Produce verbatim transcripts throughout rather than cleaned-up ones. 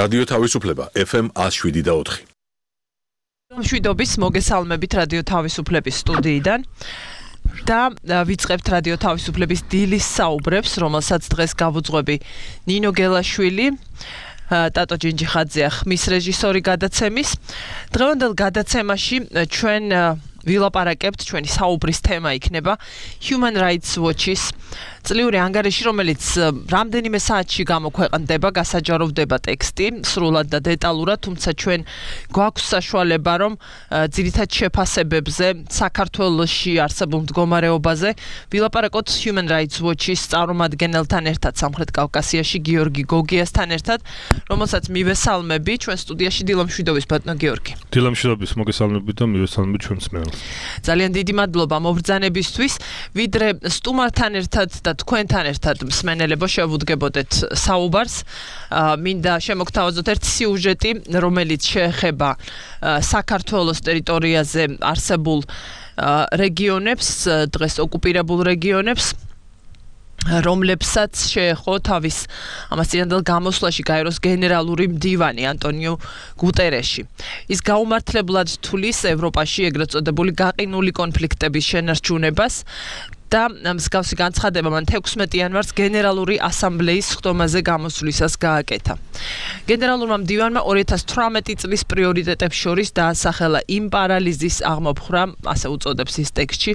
რადიო თავისუფლება F M one oh seven და four. მშვიდობის მოგესალმებით რადიო თავისუფლების სტუდიიდან და ვიწყებთ რადიო თავისუფლების დილის საუბრებს, რომელსაც დღეს გავუძღვები ნინო გელაშვილი, ტატო ჯინჯიხაძე ხმის რეჟისორი გადაცემის. დღევანდელ გადაცემაში ჩვენ ვილაპარაკებთ, ჩვენი საუბრის თემა იქნება Human Rights Watch-ის წლიური ანგარიში, რომელიც რამდენიმე საათში გამოქვეყნდება, გასაჯაროვდება ტექსტი სრულად და დეტალურად, თუმცა ჩვენ გვაქვს საშუალება, რომ ძირითად შეფასებებზე, საქართველოში არსებულ მდგომარეობაზე ვილაპარაკოთ Human Rights Watch-ის წარმომადგენელთან ერთად, სამხრეთ კავკასიაში გიორგი გოგიასთან ერთად, რომელსაც მივესალმები ჩვენ სტუდიაში. დილამშვიდობის ბატონო გიორგი. დილამშვიდობის, მოგესალმებით და მივესალმებით ჩვენს მენელს. ძალიან დიდი მადლობა მობრძანებისთვის, ვიდრე სტუმართან ერთად და თქვენთან ერთად მსმენელებო შევუდგებოდეთ საუბარს. მინდა შემოგთავაზოთ ერთ სიუჟეტი, რომელიც შეეხება საქართველოს ტერიტორიაზე არსებულ რეგიონებს, დღეს ოკუპირებულ რეგიონებს, რომლებსაც შეეხო თავის ამას წინანდელ გამოსვლაში გაეროს გენერალური მდივანი ანტონიო გუტერეში. ის გაუმართლებლად თulis ევროპაში ეგრეთ წოდებული გაყინული კონფლიქტების შენარჩუნებას და მსგავსი განცხადება მან თექვსმეტი იანვარს გენერალური ასამბლეის ხდომაზე გამოსვლისას გააკეთა. გენერალურმა მდივანმა ორი ათას თვრამეტი წლის პრიორიტეტებს შორის დაასახელა იმ პარალიზის აღმოფხვრა, ასე უწოდებს ის ტექსტში,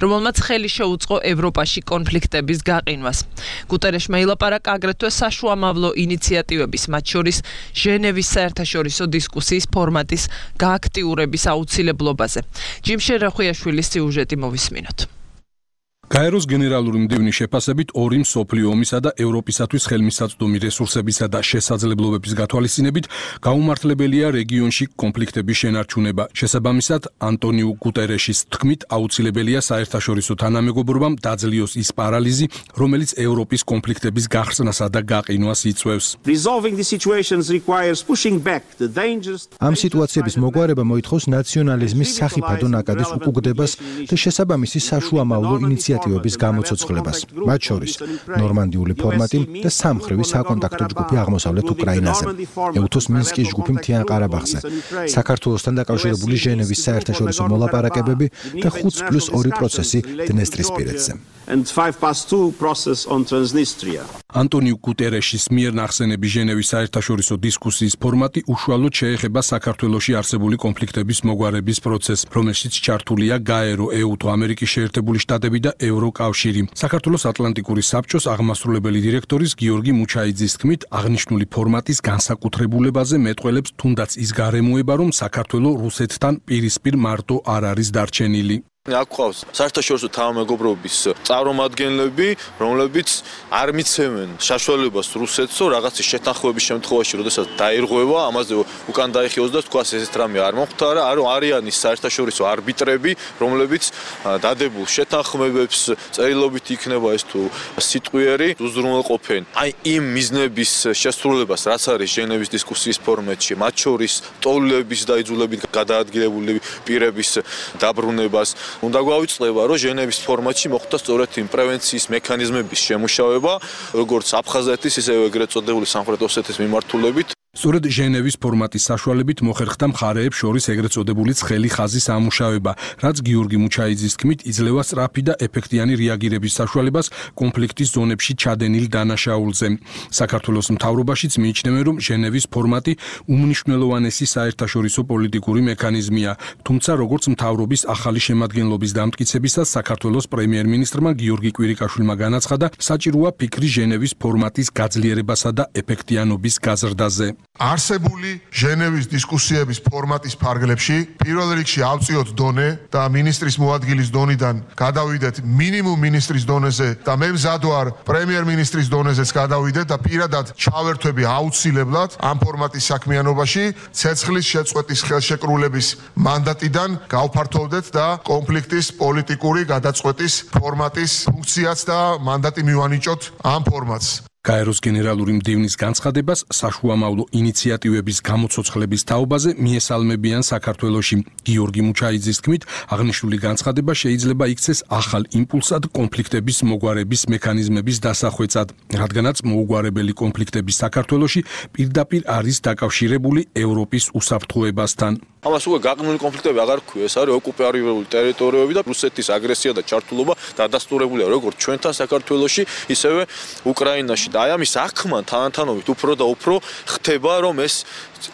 რომელმაც ხელი შეუწყო ევროპაში კონფლიქტების გაყინვას. გუტერეშმა ილაპარაკა აგრეთვე საშუამავლო ინიციატივების, მათ შორის ჟენევის საერთაშორისო დისკუსიის ფორმატის გააქტიურების აუცილებლობაზე. ჯიმშე რახვიაშვილის სიუჟეტი მოვისმინოთ. გაეროს გენერალური მდივნის შეფასებით ორი მსოფლიო ომისა და ევროპისათვის ხელმისაწვდომი რესურსებისა და შესაძლებლობების გათვალისწინებით გაუმართლებელია რეგიონში კონფლიქტების შენარჩუნება. შესაბამისად, ანტონიო გუტერეშის თქმით, აუცილებელია საერთაშორისო თანამეგობრობამ დაძლიოს ის პარალიზი, რომელიც ევროპის კონფლიქტების გახსნასა და გაყინვას იწვევს. ამ სიტუაციების მოგვარება მოითხოვს ნაციონალიზმის სახიფათო ნაკადის უკუგდებას და შესაბამისი საშუამავლო ინიციატივების გამოცოცხლებას, მათ შორის ნორმანდიული ფორმატი და სამმხრივი საკონტაქტო ჯგუფი აღმოსავლეთ უკრაინაზე, ეუთოს მინსკის ჯგუფი მთიან ყარაბაღზე, საქართველოსთან დაკავშირებული ჟენევის საერთაშორისო მოლაპარაკებები და ხუთს პლუს ორი პროცესი დნესტრისპირეთზე. ანტონიო გუტერეშის მიერ ნახსენები ჟენევის საერთაშორისო დისკუსიის ფორმატი უშუალოდ შეეხება საქართველოში არსებული კონფლიქტების მოგვარების პროცესს, რომელშიც ჩართულია გაერო, ეუთო, ამერიკის შეერთებული შტატები და ევროკავშირი. საქართველოს ატლანტიკური საბჭოს აღმასრულებელი დირექტორის გიორგი მუჩაიძის თქმით, აღნიშნული ფორმატის განსაკუთრებულებაზე მეტყველებს თუნდაც ის გარემოება, რომ საქართველო რუსეთთან პირისპირ მარტო არ არის დარჩენილი. აქ ყავს საერთაშორისო თანამეგობრობის წარმომადგენლები, რომლებიც არ მიცემენ საშუალებას რუსეთს, რომ რაღაცის შეთანხმების შემთხვევაში, როდესაც დაირღვევა, ამაზე უკან დაიხიოს და თქვას ესეთ რამე არ მომხდარა, არ არიან ის საერთაშორისო არბიტრები, რომლებიც დადებულ შეთანხმებებს წერილობით იქნება ეს თუ სიტყვიერი უზრუნველყოფენ. აი იმ მიზნების შესრულებას, რაც არის ჟენევის დისკუსიის ფორმატში, მათ შორის ტოლების და იძულებით გადაადგილებული პირების დაბრუნებას უნდა გვავიწყდება, რომ ჟენევის ფორმატში მოხდა სწორედ იმ პრევენციის მექანიზმების შემუშავება, როგორც აფხაზეთის, ისე ეგრეთ წოდებული სამხრეთ ოსეთის მიმართულებით. სწორედ ჟენევის ფორმატის საშუალებით მოხერხდა მხარეებს შორის ეგრეთ წოდებული ცხელი ხაზის ამუშავება, რაც გიორგი მუჩაიძის თქმით იძლევა სწრაფი და ეფექტიანი რეაგირების საშუალებას კონფლიქტის ზონებში ჩადენილ დანაშაულზე. საქართველოს მთავრობაშიც მიიჩნევენ, რომ ჟენევის ფორმატი უმნიშვნელოვანესი საერთაშორისო პოლიტიკური მექანიზმია, თუმცა როგორც მთავრობის ახალი შემადგენლობის დამტკიცებისას საქართველოს პრემიერ-მინისტრმა გიორგი კვირიკაშვილმა განაცხადა, საჭიროა ფიქრი ჟენევის ფორმატის გაძლიერებასა და ეფექტიანობის გაზრდაზე. არსებული ჟენევის დისკუსიების ფორმატის ფარგლებში პირველ რიგში ავწიოთ დონე და მინისტრის მოადგილის დონიდან გადავიდეთ მინიმუმ მინისტრის დონეზე და მე მზად ვარ პრემიერ-მინისტრის დონეზეც გადავიდეთ და პირადად ჩავერთვები აუცილებლად ამ ფორმატის საქმიანობაში ცეცხლის შეწყვეტის ხელშეკრულების მანდატიდან გავფართოვდეთ და კონფლიქტის პოლიტიკური გადაწყვეტის ფორმატის ფუნქციაც და მანდატი მივანიჭოთ ამ ფორმატს. გაეროს გენერალური მდივნის განცხადებას საშუამავლო ინიციატივების გამოცოცხლების თაობაზე მიესალმებიან საქართველოში. გიორგი მუჩაიძის თქმით, აღნიშნული განცხადება შეიძლება იქცეს ახალ იმპულსად კონფლიქტების მოგვარების მექანიზმების დასახვეწად, რადგანაც მოუგვარებელი კონფლიქტები საქართველოში პირდაპირ არის დაკავშირებული ევროპის უსაფრთხოებასთან. ამას უკვე გაყნული კონფლიქტები აღარ ქვია, ეს არის ოკუპირებული ტერიტორიები და რუსეთის აგრესია და ჩართულობა დადასტურებულია როგორც ჩვენთან საქართველოში, ისევე უკრაინაში. და აი ამის აღქმა თანათანობით უფრო და უფრო ხდება, რომ ეს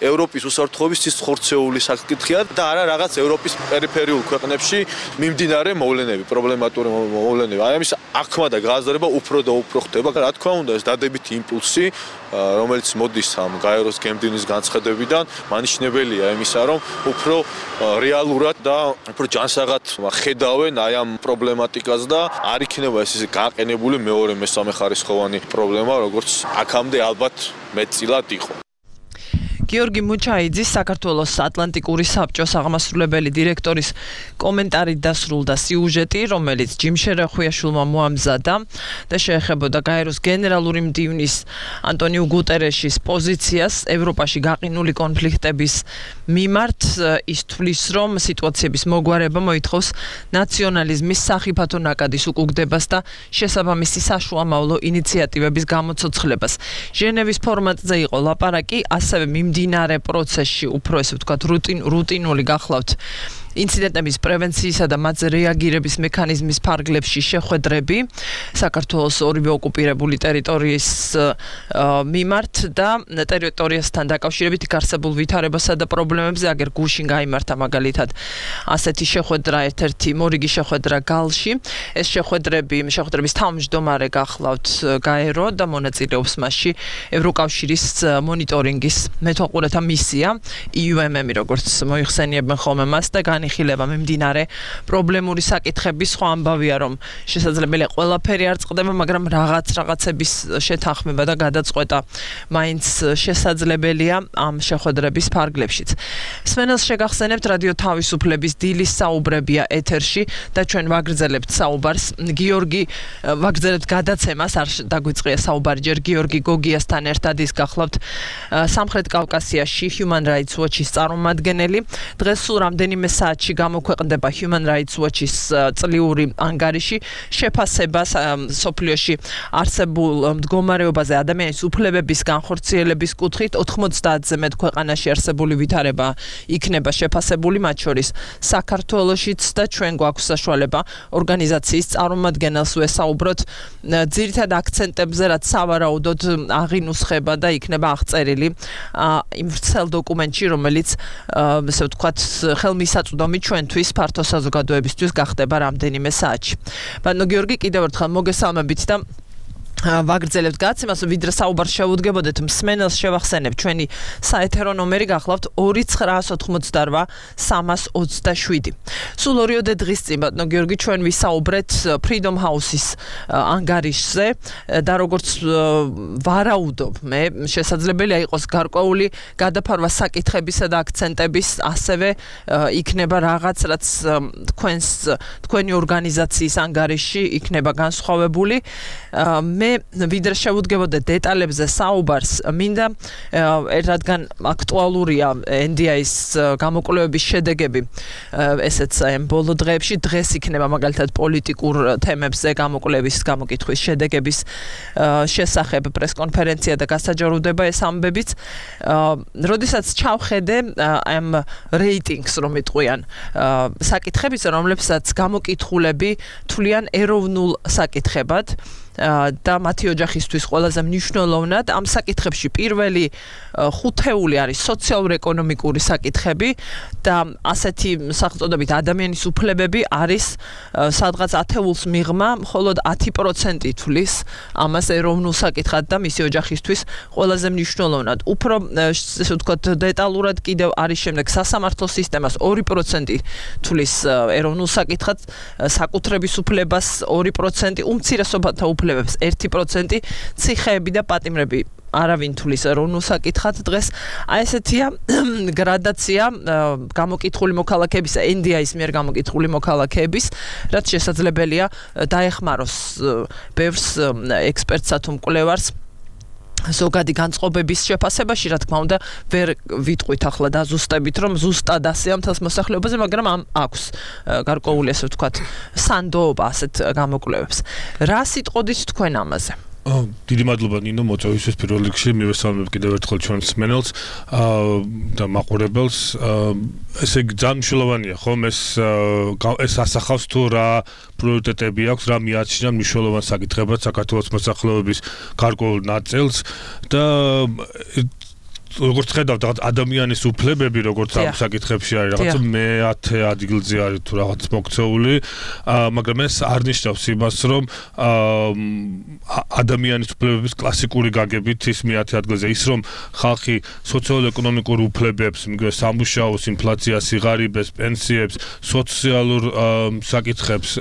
ევროპის უსაფრთხოების ის ხორცეული საკითხია და არა რაღაც ევროპის პერიფერიულ ქვეყნებში მიმდინარე მოვლენები, პრობლემატური მოვლენები. აი ამის აღქმა და გააზრება უფრო და უფრო ხდება. რა თქმა უნდა, ეს დადებითი იმპულსი, რომელიც მოდის ამ გაეროს გემდივნის განცხადებიდან, მანიშნებელია იმისა, რომ უფრო რეალურად და უფრო ჯანსაღად ხედავენ აი ამ პრობლემატიკას და არ იქნება ეს ისე გაყენებული მეორე მესამე ხარისხოვანი პრობლემა, როგორც აქამდე ალბათ მეტწილად იყო. გიორგი მუჩაიძის საქართველოს ატლანტიკური საბჭოს აღმასრულებელი დირექტორის კომენტარით დასრულდა სიუჟეტი, რომელიც ჯიმ შერახვიაშვილმა მოამზადა და შეეხებოდა გაეროს გენერალური მდივნის ანტონიუ გუტერეშის პოზიციას ევროპაში გაყინული კონფლიქტების მიმართ. ის თვლის, რომ სიტუაციების მოგვარება მოითხოვს ნაციონალიზმის სახიფათო ნაკადის უკუგდებას და შესაბამისი საშუამავლო ინიციატივების გამოცოცხლებას. ჟენევის ფორმატზე იყო ლაპარაკი, ასევე მიმდინარე პროცესში უფრო ესე ვთქვათ რუტინ რუტინული გახლავთ ინციდენტების პრევენციისა და მათზე რეაგირების მექანიზმის ფარგლებში შეხვედრები საქართველოს ორივე ოკუპირებული ტერიტორიის მიმართ და ტერიტორიასთან დაკავშირებით არსებულ ვითარებასა და პრობლემებზე აგერ გუშინ გაიმართა მაგალითად ასეთი შეხვედრა ერთ-ერთი მორიგი შეხვედრა გალში. ეს შეხვედრები შეხვედრების თავმჯდომარე გახლავთ გაერო და მონაწილეობს მასში ევროკავშირის მონიტორინგის მეთვალყურეთა მისია ი იუ ემ ემ-ი როგორც მოიხსენიებენ ხოლმე მას და განიხილება მიმდინარე პრობლემური საკითხების. ხო ამბავია, რომ შესაძლებელია ყველაფერი არ წყდება, მაგრამ რაღაც რაღაცების შეთანხმება და გადაწყვეტა მაინც შესაძლებელია ამ შეხვედრების ფარგლებშიც. სვენელს შეგახსენებთ რადიო თავისუფლების დილის საუბრებია ეთერში და ჩვენ ვაგრძელებთ საუბარს. გიორგი ვაგრძელებთ გადაცემას, არ დაგვიწყია საუბარი ჯერ გიორგი გოგიასთან ერთად, ის გახლავთ სამხრეთ კავკასიაში Human Rights Watch-ის წარმომადგენელი. დღეს სულ რამდენიმე საათში გამოქვეყნდება Human Rights Watch-ის წლიური ანგარიში შეფასებას სოფლიოში არსებულ მდგომარეობაზე ადამიანის უფლებების განხორციელების კუთხით. ოთხმოცდაათზე მეტ ქვეყანაში არსებული ვითარება იქნება შეფასებული, მათ შორის საქართველოშიც და ჩვენ გვაქვს საშუალება ორგანიზაციის წარმომადგენელს ვესაუბროთ ძირითად აქცენტებზე, რაც სავარაუდოდ აღინუსხება და იქნება აღწერილი იმ ვრცელ დოკუმენტში, რომელიც ესე ვთქვათ ხელმისაწვდომი ჩვენთვის ფართო საზოგადოებისთვის გახდება რამდენიმე საათში. ბატონო გიორგი, კიდევ ერთხელ მოგესალმებით და ვაგრძელებთ გადაცემას, ვიდრე საუბარს შევუდგებოდეთ, მსმენელს შევახსენებ ჩვენი საეთერო ნომერი გახლავთ ორი ცხრაას ოთხმოცდარვა სამას ოცდაშვიდი. სულ ორიოდე დღის წინ ბატონო გიორგი ჩვენ ვისაუბრეთ Freedom House-ის ანგარიშზე და როგორც ვარაუდობ, მე შესაძლებელია იყოს გარკვეული გადაფარვა საკითხებისა და აქცენტების, ასევე იქნება რაღაც, რაც თქვენს თქვენი ორგანიზაციის ანგარიში იქნება განსხვავებული. მე ვიდრე შევუდგებოდეთ დეტალებზე საუბარს, მინდა რადგან აქტუალურია ენ დი აის გამოკვლევების შედეგები, ესეც ამ ბოლო დღეებში, დღეს იქნება მაგალითად პოლიტიკურ თემებზე გამოკვლევის გამოკითხვის შედეგების შესახებ პრესკონფერენცია და გასაჯაროდება ეს ამბებიც. როდესაც ჩავხედე ამ რეიტინგს, რომ იტყვიან საკითხების, რომლებსაც გამოკითხულები თვლიან ეროვნულ საკითხებად და მათი ოჯახისთვის ყველაზე მნიშვნელოვნად ამ საკითხებში პირველი ხუთეული არის სოციალურ-ეკონომიკური საკითხები და ასეთი სახელწოდებით ადამიანის უფლებები არის სადღაც ათეულს მიღმა, მხოლოდ ათი პროცენტი თვლის ამას ეროვნულ საკითხად და მისი ოჯახისთვის ყველაზე მნიშვნელოვნად. უფრო ესე ვთქვათ დეტალურად კიდევ არის შემდეგ სასამართლო სისტემას ორი პროცენტი თვლის ეროვნულ საკითხად, საკუთრების უფლებას ორი პროცენტი, უმცირესობათა უფლებებს ერთი პროცენტი, ციხეები და პატიმრები არავინ თulis ეროვნულ საკითხად დღეს. აი ესეთია გრადაცია გამოკითხული მოქალაქეების, ენ დი აის მიერ გამოკითხული მოქალაქეების, რაც შესაძლებელია დაეხმაროს ბევრს ექსპერტსა თუ მკვლევარს ზოგადი განწყობების შეფასებაში, რა თქმა უნდა, ვერ ვიტყვით ახლა დაზუსტებით, რომ ზუსტად ასეა მთელს მოსახლეობაზე, მაგრამ ამ აქვს გარკვეული, ასე ვთქვათ, სანდოობა ასეთ გამოკვლევებს. რა სიტყოდით თქვენ ამაზე? დიდი მადლობა ნინო მოწვევისთვის პირველ რიგში მივესალმებ კიდევ ერთხელ ჩვენს მსმენელს და მაყურებელს. ესე იგი ძალიან მნიშვნელოვანია ხომ ეს ეს ასახავს თუ რა პრიორიტეტები აქვს, რა მიაჩნია მნიშვნელოვან საკითხებად საქართველოს მოსახლეობის გარკვეულ ნაწილს და როგორც ხედავთ რაღაც ადამიანის უფლებები როგორც ამ საკითხებში არის რაღაც მეათე ადგილზე არის თუ რაღაც მოქცეული, მაგრამ ეს არ ნიშნავს იმას რომ ადამიანის უფლებების კლასიკური გაგებით ის მეათე ადგილზე ის რომ ხალხი სოციალურ-ეკონომიკურ უფლებებს, სამუშაოს, ინფლაციას, სიღარიბეს, პენსიებს, სოციალურ საკითხებს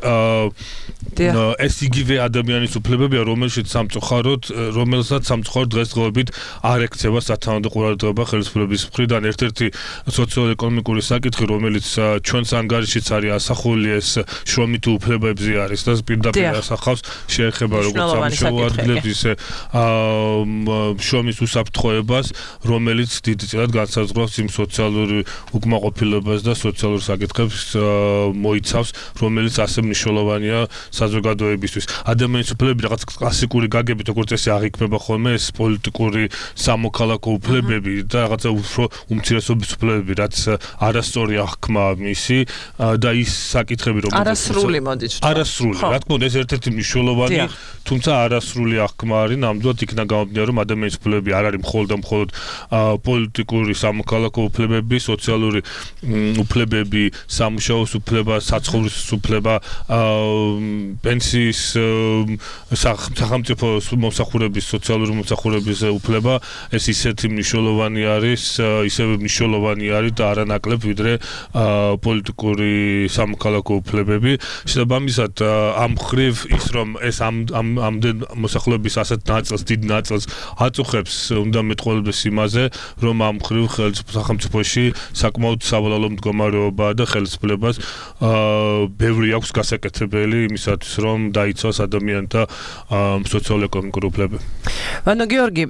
ეს იგივე ადამიანის უფლებებია, რომელშიც სამწუხაროდ რომელსაც სამწუხაროდ დღესდღეობით არ ექცევა სათანადო ყურადღება ხელისუფლების მხრიდან. ერთ-ერთი სოციალურ-ეკონომიკური საკითხი, რომელიც ჩვენს ანგარიშიც არის ასახული, ეს შრომითი უფლებებზე არის და პირდაპირ ასახავს შეეხება როგორც სამუშაო ადგილებს, ისე შრომის უსაფრთხოებას, რომელიც დიდწილად განსაზღვრავს იმ სოციალური უკმაყოფილებას და სოციალურ საკითხებს მოიცავს, რომელიც ასე მნიშვნელოვანია საზოგადოებისთვის. ადამიანის უფლებები რაღაც კლასიკური გაგებით, როგორც ესე აღიქმება ხოლმე, ეს პოლიტიკური სამოქალაქო უფლებები და რაღაცა უფრო უმცირესობის უფლებები, რაც არასწორი აღქმა მისი და ის საკითხები, რომელიც არასრული მოდით. არასრული, რა თქმა უნდა, ეს ერთ-ერთი მნიშვნელოვანი, თუმცა არასრული აღქმა არის, ნამდვილად იქნა გამომდინარე, რომ ადამიანის უფლებები არ არის მხოლოდ და მხოლოდ პოლიტიკური სამოქალაქო უფლებები, სოციალური უფლებები, სამუშაოს უფლება, საცხოვრისის უფლება, პენსიის სახელმწიფო მომსახურების, სოციალური მომსახურების უფლება, ეს ისეთი მნიშვნელოვანი არის, ისევე მნიშვნელოვანი არის და არანაკლებ ვიდრე პოლიტიკური სამოქალაქო უფლებები. შესაბამისად, ამ მხრივ ის რომ ეს ამ ამდენ მოსახლეობის ასეთ ნაწილს, დიდ ნაწილს აწუხებს, უნდა მეტყველებდეს იმაზე, რომ ამ მხრივ სახელმწიფოში საკმაოდ სავალალო მდგომარეობაა და ხელისუფლებას ბევრი აქვს გასაკეთებელი იმისათვის, რომ დაიცვას ადამიანთა სოციალურ-ეკონომიკური უფლებები. ვანო გიორგი,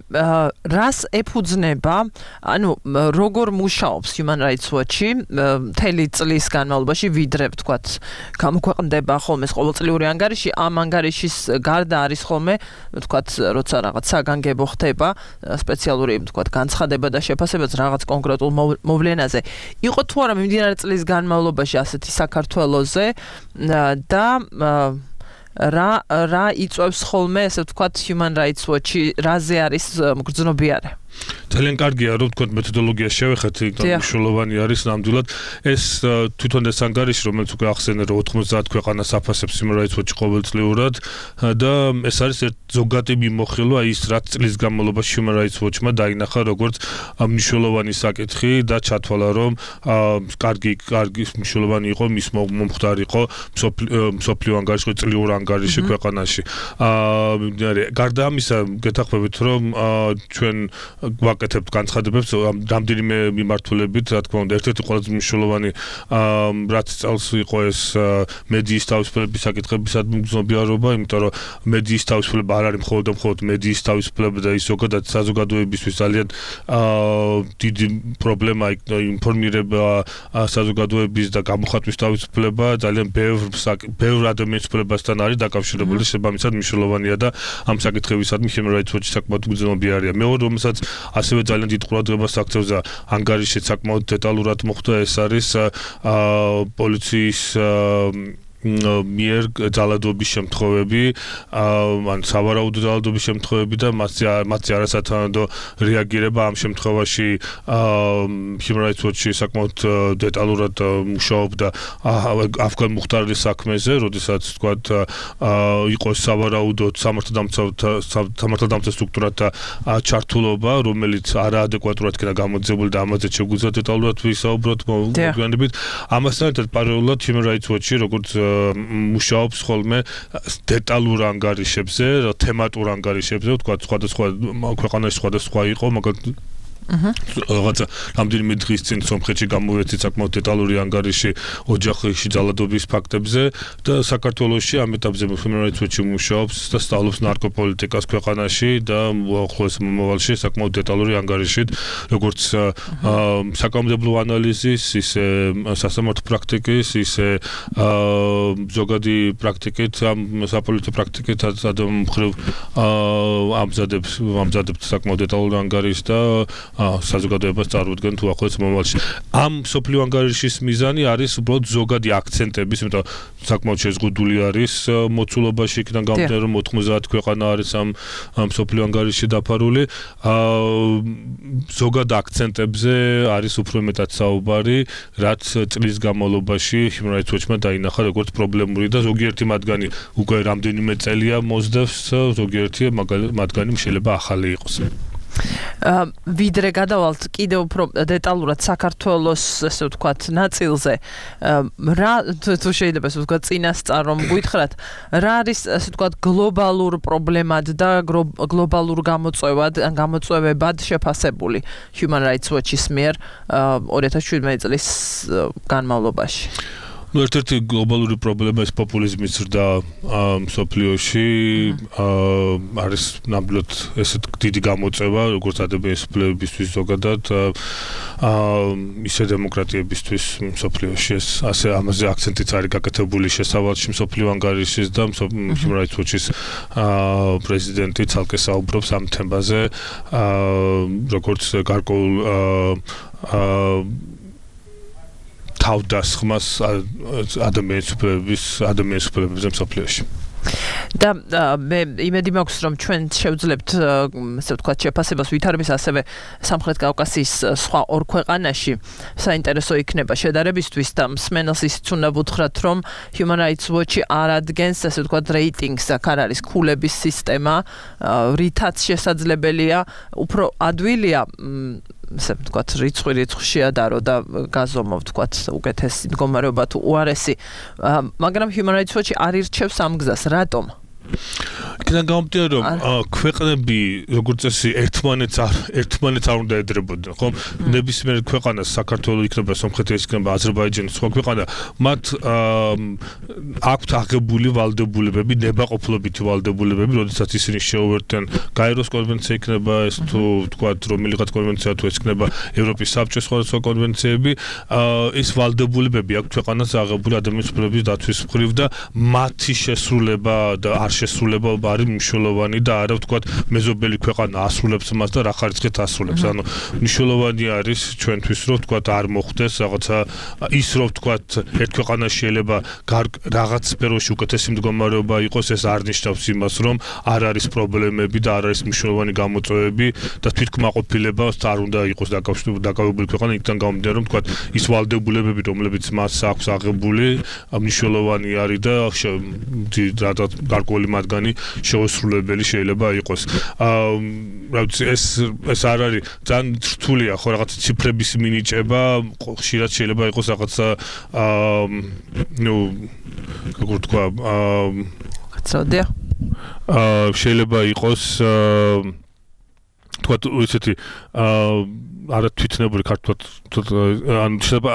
რას ეფუძნება, ანუ როგორ მუშაობს Human Rights Watch-ი მთელი წლის განმავლობაში, ვიდრე ვთქვათ, გამოქვეყნდება ხოლმე ყოველწლიური ანგარიში, ამ ანგარიშის გარდა არის ხოლმე, ვთქვათ, როცა რაღაც საგანგებო ხდება, სპეციალური, ვთქვათ, განცხადება და შეფასებაც რაღაც კონკრეტულ მოვლენაზე. იყო თუ არა მიმდინარე წლის განმავლობაში ასეთი საქართველოზე და რა რა იწვევს ხოლმე, ესე ვთქვათ, Human Rights Watch-ი, რაზე არის მგრძნობიარე? ძალიან კარგია, რომ თქვენ მეთოდოლოგიას შევეხეთ, იმიტომ მნიშვნელოვანი არის ნამდვილად ეს თვითონ ეს ანგარიში, რომელიც უკვე ახსენე, რომ ოთხმოცდაათ ქვეყანას აფასებს Human Rights Watch ყოველწლიურად და ეს არის ზოგადი მიმოხილვა ის, რაც წლის განმავლობაში Human Rights Watch-მა დაინახა როგორც მნიშვნელოვანი საკითხი და ჩათვალა, რომ კარგი კარგი მნიშვნელოვანი იყო, მის მომხდარი იყო მსოფლიო ანგარიში, წლიური ანგარიში ქვეყანაში. გარდა ამისა, გეთახმებით, რომ ჩვენ ვაკეთებთ განცხადებებს რამდენიმე მიმართულებით, რა თქმა უნდა, ერთ-ერთი ყველაზე მნიშვნელოვანი რაც წელს იყო ეს მედიის თავისუფლების საკითხებისადმი მგრძნობიარობა, იმიტომ რომ მედიის თავისუფლება არ არის მხოლოდ და მხოლოდ მედიის თავისუფლება და ის ზოგადად საზოგადოებისთვის ძალიან დიდი პრობლემა ინფორმირება საზოგადოების და გამოხატვის თავისუფლება ძალიან ბევრ ბევრ ადამიანის უფლებასთან არის დაკავშირებული, შესაბამისად მნიშვნელოვანია და ამ საკითხებისადმი Human Rights Watch-ი საკმაოდ მგრძნობიარია. მეორე, რომელსაც ასევე ძალიან დიდ ყურადღებას აქცევს და ანგარიში საკმაოდ დეტალურად მოხდა, ეს არის პოლიციის მიერ ძალადობის შემთხვევები, ან სავარაუდო ძალადობის შემთხვევები და მათზე არასათანადო რეაგირება ამ შემთხვევაში Human Rights Watch-ი საკმაოდ დეტალურად მუშაობდა ავგან-მუხტარის საქმეზე, როდესაც თქვათ იყო სავარაუდო სამართალდამცავ სტრუქტურათა ჩართულობა, რომელიც არაადეკვატურად იქნა გამოძებული და ამაზე შეგვიძლია დეტალურად ვისაუბროთ მოგვიანებით. ამასთან ერთად პარალელურად Human Rights Watch-ი როგორც მუშაობს ხოლმე დეტალურ ანგარიშებზე, თემატურ ანგარიშებზე, ვთქვათ, სხვადასხვა ქვეყანაში სხვადასხვა იყო, მაგალითად რაღაცა რამდენიმე დღის წინ სომხეთში გამოვეცით საკმაოდ დეტალური ანგარიში ოჯახში ძალადობის ფაქტებზე და საქართველოში ამ ეტაპზე Human Rights Watch მუშაობს და სწავლობს ნარკოპოლიტიკას ქვეყანაში და უახლოეს მომავალში საკმაოდ დეტალური ანგარიშით როგორც საკანონმდებლო ანალიზის, ისე სასამართლო პრაქტიკის, ისე ზოგადი პრაქტიკით, ამ საპოლიტიკო პრაქტიკით ადამიანმხრივ ამზადებს ამზადებს საკმაოდ დეტალურ ანგარიშს და საზოგადოებას წარმოადგენთ უახლოეს მომავალში. ამ სოფლიო ანგარიშის მიზანი არის უბრალოდ ზოგადი აქცენტების, იმიტომ რომ საკმაოდ შეზღუდული არის მოცულობაში, იქიდან გამომდინარე რომ ოთხმოცდაათი ქვეყანა არის ამ სოფლიო ანგარიშში დაფარული. ზოგად აქცენტებზე არის უფრო მეტად საუბარი, რაც წლის განმავლობაში Human Rights Watch-მა დაინახა როგორც პრობლემური და ზოგიერთი მათგანი უკვე რამდენიმე წელია მოსდევს, ზოგიერთი მათგანი შეიძლება ახალი იყოს. ვიდრე გადავალთ კიდევ უფრო დეტალურად საქართველოს ესე ვთქვათ ნაწილზე რა თუ შეიძლება ესე ვთქვათ წინასწარ რომ გითხრათ რა არის ესე ვთქვათ გლობალურ პრობლემად და გლობალურ გამოწვევად ან გამოწვევებად შეფასებული Human Rights Watch-ის მიერ ორი ათას შვიდმეტი წლის განმავლობაში. Ну, ერთ-ერთი გლობალური პრობლემა ეს პოპულიზმის ზრდა მსოფლიოში არის ნამდვილად ესეთ დიდი გამოწვევა, როგორც ადამიანის უფლებებისთვის ზოგადად, ისე დემოკრატიებისთვის მსოფლიოში. ეს ასე ამაზე აქცენტიც არის გაკეთებული შესავალში მსოფლიო ანგარიშის და Human Rights Watch-ის პრეზიდენტი ცალკე საუბრობს ამ თემაზე, როგორც გარკვეულ თავდასხმას ადამიანის უფლებების ადამიანის უფლებებზე მსოფლიოში. და მე იმედი მაქვს რომ ჩვენ შევძლებთ ასე ვთქვათ შეფასებას ვითარების ასევე სამხრეთ კავკასიის სხვა ორ ქვეყანაში საინტერესო იქნება შედარებისთვის და მსმენელს ისიც უნდა ვუთხრათ რომ Human Rights Watch-ი არ ადგენს ასე ვთქვათ რეიტინგს, აქ არ არის ქულების სისტემა, რითაც შესაძლებელია უფრო ადვილია ასე ვთქვათ რიცხვი რიცხვში ადარო და გაზომო ვთქვათ უკეთესი მდგომარეობა თუ უარესი, მაგრამ Human Rights Watch-ი არ ირჩევს ამ გზას. რატომ? იქიდან გამომდინარე რომ ქვეყნები როგორც წესი ერთმანეთს არ ერთმანეთს არ უნდა ედრებოდნენ, ხო? ნებისმიერ ქვეყანას საქართველოს იქნება, სომხეთის იქნება, აზერბაიჯანის სხვა ქვეყანა, მათ აქვთ აღებული ვალდებულებები, ნებაყოფლობითი ვალდებულებები, როდესაც ისინი შეუერთდნენ გაეროს კონვენცია იქნება, ეს თუ ვთქვათ რომელიღაც კონვენცია თუ ეს იქნება ევროპის საბჭოს სხვადასხვა კონვენციები, ეს ვალდებულებები აქვთ ქვეყანას აღებული ადამიანის უფლებების დაცვის მხრივ და მათი შესრულება და არ შესრულება არის მნიშვნელოვანი და არა ვთქვათ მეზობელი ქვეყანა ასრულებს მას და რა ხარისხით ასრულებს. ანუ მნიშვნელოვანი არის ჩვენთვის რომ ვთქვათ არ მოხდეს რაღაცა ის რომ ვთქვათ ერთ ქვეყანაში შეიძლება რაღაც სფეროში უკეთესი მდგომარეობა იყოს, ეს არ ნიშნავს იმას რომ არ არის პრობლემები და არ არის მნიშვნელოვანი გამოწვევები და თვითკმაყოფილება არ უნდა იყოს დაკავებული ქვეყანა. იქიდან გამომდინარე რომ ვთქვათ ის ვალდებულებები რომლებიც მას აქვს აღებული მნიშვნელოვანი არის და რადგან გარკვეული მათგანი შეუსრულებელი შეიძლება იყოს. რა ვიცი ეს ეს არ არის ძალიან რთულია ხო რაღაც ციფრების მინიჭება, ხშირად შეიძლება იყოს რაღაცა ნუ როგორ თქვა კაცოდია შეიძლება იყოს თქვა ისეთი არა თვითნებური ქართულად ან შეიძლება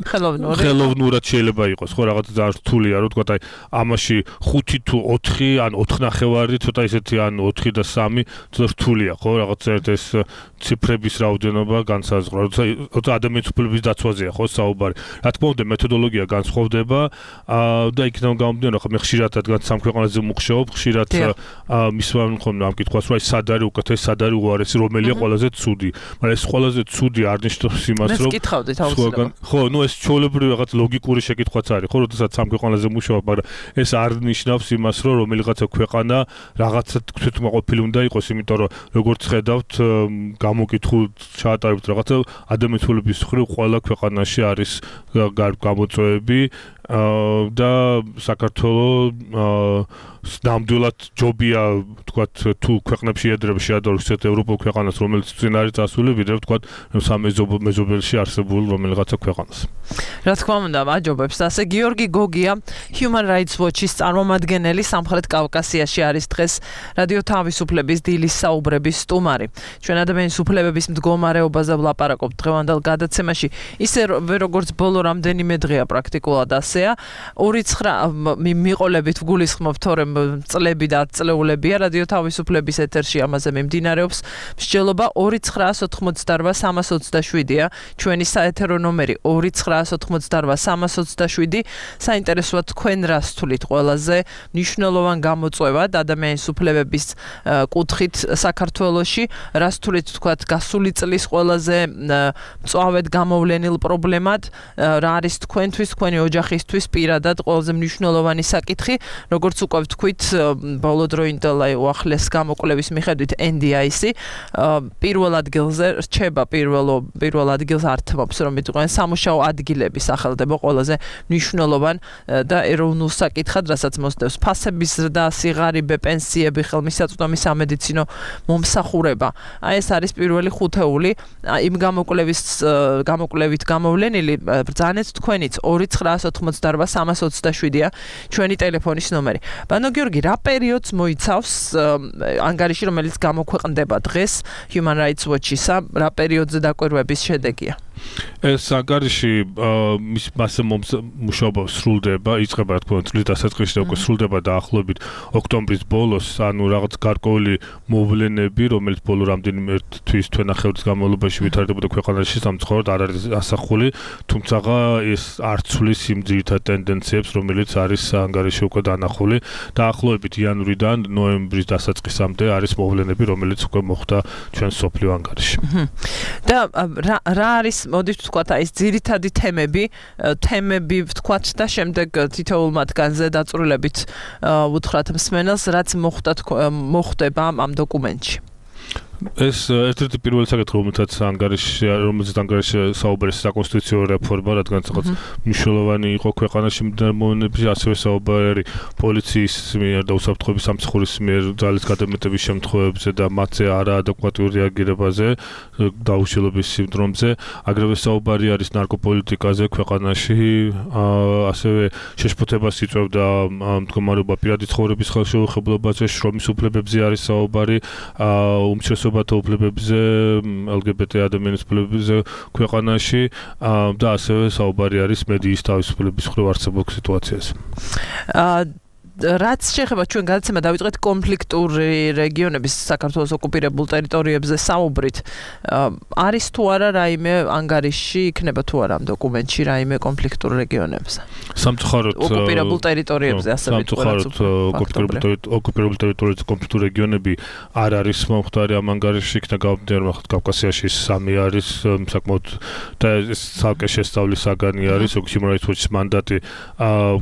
ხელოვნური ხელოვნურად შეიძლება იყოს ხო რაღაცა ძალიან რთულია რომ თქვა აი ამაში ხუთი თუ ოთხი ან ოთხნახევარი ცოტა ისეთი ან ოთხი და სამი ცოტა რთულია ხო რაღაცა ეს ციფრების რაოდენობა განსაზღვრა როცა ადამიანის უფლებების დაცვაზეა ხო საუბარი. რა თქმა უნდა მეთოდოლოგია განსხვავდება და იქიდან გამომდინარე ხო მე ხშირად რადგან სამ ქვეყანაზე მუშაობ ხშირად მისვამენ ხოლმე ამ კითხვას რომ აი სად არის უკეთესი სად არის უარესი რომელია ყველაზე ცუდი, მაგრამ ეს ყველაზე ცუდი არ ნიშნავს იმას რომ ხო ნუ ეს ჩვეულებრივი რაღაც ლოგიკური შეკითხვაც არის ხო როდესაც სამ ქვეყანაზე მუშაობ, მაგრამ ეს არ ნიშნავს იმას რომ რომელიღაცა ქვეყანა რაღაცა თვითმყოფილი უნდა იყოს, იმიტომ რომ როგორც ხედავთ გამოკითხულთ ჩაატარებთ რაღაცა ადამიანის უფლების მხრივ ყველა ქვეყანაში არის გამოწვევები და საქართველოს ნამდვილად ჯობია თქვათ თუ ქვეყნებში ეძრება შეადაროს ისეთ ევროპულ ქვეყანას რომელიც წინ არის წასული ვიდრე თქვათ სამეზობელში არსებულ რომელიღაცა ქვეყანას. რა თქმა უნდა, მაჯობებს. ასე გიორგი გოგია, Human Rights Watch-ის წარმომადგენელი სამხრეთ კავკასიაში არის დღეს რადიო თავისუფლების დილის საუბრების სტუმარი. ჩვენ ადამიანის უფლებების მდგომარეობაზე ვლაპარაკობთ დღევანდელ გადაცემაში. ისე როგორც ბოლო რამდენიმე დღეა პრაქტიკულად ასეა. ორი ცხრა მიყოლებით ვგულისხმობთ თორემ წლები და ათწლეულებია რადიო თავისუფლების ეთერში ამაზე მიმდინარეობს მსჯელობა ორი ცხრა ოთხმოცდარვა სამას ოცდაშვიდია ჩვენი საეთერო ნომერი ორი ცხრა ოთხმოცდარვა სამას ოცდაშვიდი საინტერესოა თქვენ რას თulit ყველაზე მნიშვნელოვან გამოწვევად ადამიანის უფლებების კუთხით საქართველოში რას თulit თქვათ გასული წლის ყველაზე მწვავედ გამოვლენილ პრობლემად რა არის თქვენთვის თქვენი ოჯახისთვის პირადად ყველაზე მნიშვნელოვანი საკითხი როგორც უკვე ვთქვით ბოლოდროინდელ აი უახლეს გამოკვლევის მიხედვით N D I C პირველ ადგილზე რჩება პირველ პირველ ადგილს ართმობს რომ იყვნენ სამუშაო ადგილები სახელდება ყველაზე მნიშვნელოვან და ეროვნულ საკითხად რასაც მოსდევს ფასების ზრდა სიღარიბე პენსიები ხელმისაწვდომი სამედიცინო მომსახურება აი ეს არის პირველი ხუთეული იმ გამოკვლევის გამოკვლევით გამოვლენილი ბრძანეთ თქვენიც ორი ცხრა ოთხმოცდარვა სამას ოცდაშვიდია ჩვენი ტელეფონის ნომერი. ბანო გიორგი, რა პერიოდს მოიცავს ანგარიში, რომელიც გამოქვეყნდება დღეს Human Rights Watch-ისა, რა პერიოდზე დაკვირვების შედეგია? ეს ანგარიში მის მასე მუშაობა სრულდება, იწყება რა თქმა უნდა წლის დასაწყისში და უკვე სრულდება დაახლოებით ოქტომბრის ბოლოს, ანუ რაღაც გარკვეული მოვლენები, რომელიც ბოლო რამდენიმე თვის თვენახევრის განმავლობაში ვითარდებოდა ქვეყანაში, სამწუხაროდ არ არის ასახული, თუმცა ეს არ ცვლის იმ ძირითად ტენდენციებს, რომელიც არის ანგარიში უკვე დანახული. დაახლოებით იანვრიდან ნოემბრის დასაწყისამდე არის მოვლენები, რომელიც უკვე მოხდა ჩვენ სოფლიო ანგარიში. და რა არის მოდით ვთქვათ აი ეს ძირითადი თემები, თემები ვთქვათ და შემდეგ თითოეულ მათგანზე დაწვრილებით უთხრათ მსმენელს, რაც მოხდა მოხდება ამ დოკუმენტში. ეს ერთ-ერთი პირველი საკითხი, რომელთაც ანგარიში, რომელზეც ანგარიში საუბარია საკონსტიტუციო რეფორმა, რადგან რაღაც მნიშვნელოვანი იყო ქვეყანაში მომენტებში, ასევე საუბარი პოლიციის მიერ და უსაფრთხოების სამსახურის მიერ ძალის გადამეტების შემთხვევებზე და მათზე არაადეკვატურ რეაგირებაზე, დაუშალების სინდრომზე, აგრეთვე საუბარი არის ნარკოპოლიტიკაზე ქვეყანაში, ასევე შეშფოთებას იწვევდა მდგომარეობა პირადი ცხოვრების ხელშეუხებლობაზე, შრომის უფლებებზე არის საუბარი, უმცირესობათა უფლებებზე, L G B T ადამიანის უფლებებზე ქვეყანაში და ასევე საუბარი არის მედიის თავისუფლების მხრივ არსებულ სიტუაციაზე. რაც შეეხება ჩვენ გადაცემა დავიწყეთ კონფლიქტური რეგიონების საქართველოს ოკუპირებულ ტერიტორიებზე საუბრით არის თუ არა რაიმე ანგარიში იქნება თუ არა ამ დოკუმენტში რაიმე კონფლიქტურ რეგიონებზე სამწუხაროდ ოკუპირებულ ტერიტორიებზე ასე სამწუხაროდ ოკუპირებულ ტერიტორიებზე კონფლიქტური რეგიონები არ არის მომხდარი ამ ანგარიში იქნა გამომდინარე რომ კავკასიაში სამი არის საკმაოდ და ეს ცალკე შესწავლის საგანი არის Human Rights Watch-ის მანდატი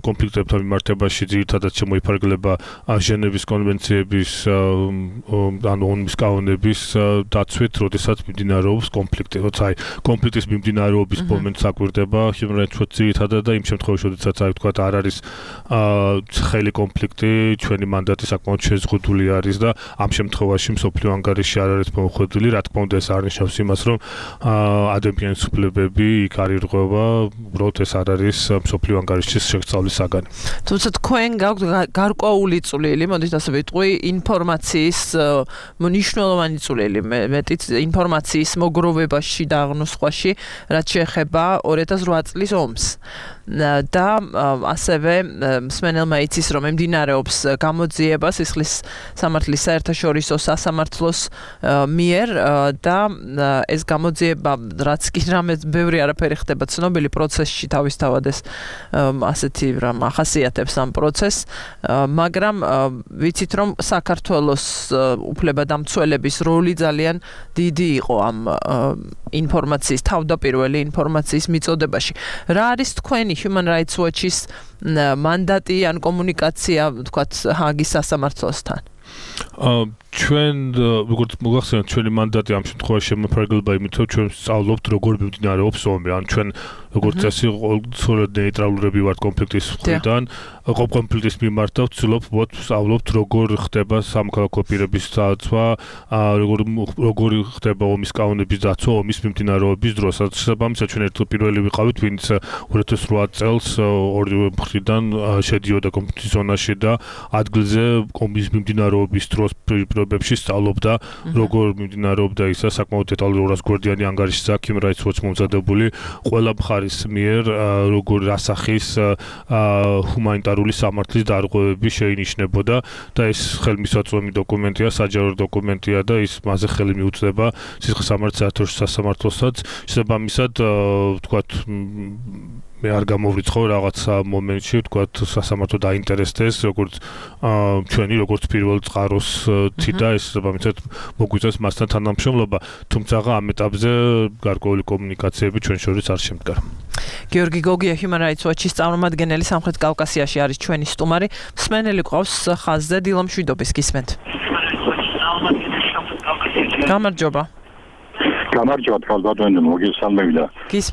კონფლიქტებთან მიმართებაში ძირითადად მოიფარგლება ჟენევის კონვენციების ან ომის კანონების დაცვით, როდესაც მიმდინარეობს კონფლიქტი. როცა აი კონფლიქტის მიმდინარეობის მომენტს აკვირდება Human Rights Watch ძირითადად და იმ შემთხვევაში, როდესაც აი თქვა არ არის ცხელი კონფლიქტი, ჩვენი მანდატი საკმაოდ შეზღუდული არის და ამ შემთხვევაში მსოფლიო ანგარიში არ არის მოუხდილი, რა თქმა უნდა ეს არნიშნავს იმას, რომ ადამიანის უფლებები იქ არ ირღვევა, უბრალოდ ეს არ არის მსოფლიო ანგარიშის შესწავლის საგანი. თუმცა თქვენ გაქვთ გარკვეული წვლილი, მოდით ასე ვიტყვი, ინფორმაციის მნიშვნელოვანი წვლილი, მეტიც ინფორმაციის მოგროვებაში და აღნუსხვაში, რაც შეეხება ორი ათას რვა წლის ომს. და ასევე მსმენელმა იცის, რომ მიმდინარეობს გამოძიება სისხლის სამართლის საერთაშორისო სასამართლოს მიერ და ეს გამოძიება, რაც კი რამე ბევრი არაფერი ხდება ცნობილი პროცესში თავისთავად ეს ასეთი რამ ახასიათებს ამ პროცესს, მაგრამ ვიცით, რომ საქართველოს უფლებადამცველების როლი ძალიან დიდი იყო ამ ინფორმაციის, თავდაპირველი ინფორმაციის მიწოდებაში. რა არის თქვენი Human Rights Watch-ის მანდატი ან კომუნიკაცია, ვთქვათ, ჰაგის სასამართლოსთან? ჩვენ როგორც მოგახსენეთ ჩვენი მანდატი ამ შემთხვევაში შემოფარგლება იმით რომ ჩვენ სწავლობთ როგორ მიმდინარეობს ომი ან ჩვენ როგორც წესი ცოლად ნეიტრალურები ვართ კონფლიქტის მხრიდან კონფლიქტის მიმართ და ვცდილობ ვსწავლობთ როგორ ხდება სამოქალაქო პირების დაცვა როგორ როგორ ხდება ომის კანონების დაცვა ომის მიმდინარეობის დროს შესაბამისად ჩვენ ერთ პირველი ვიყავით ვინც ორი ათას ოთხ წელს ორივე მხრიდან შედიოდა კონფლიქტის ზონაში და ადგილზე ომის მიმდინარეობის დროს პირობებში სწავლობდა როგორ მიმდინარეობდა ისა საკმაოდ დეტალური ორას გვერდიანი ანგარიშის აქ Human Rights Watch მომზადებული ყველა მხარის მიერ როგორ ასახის ჰუმანიტარული სამართლის დარღვევები შეინიშნებოდა და ეს ხელმისაწვდომი დოკუმენტია, საჯარო დოკუმენტია და ის მასზე ხელი მიუწვდება სისხლისამართლის საერთაშორისო სასამართლოსაც. შესაბამისად, ვთქვათ, მე არ გამოვრიცხავ რაღაცა მომენტში, ვთქვათ, სასამართლო დაინტერესდეს, როგორც ჩვენი, როგორც პირველ წყაროს თიდა, ეს შესაბამისად მოგვიწევს მასთან თანამშრომლობა, თუმცა ამ ეტაპზე გარკვეული კომუნიკაციები ჩვენ შორის არ შემდგარა. გიორგი გოგია Human Rights Watch-ის წარმომადგენელი სამხრეთ კავკასიაში არის ჩვენი სტუმარი. მსმენელი ყავს ხაზზე დილა მშვიდობის გისმენთ. გამარჯობა. გამარჯობა თვალბადონი მოგესალმებდა.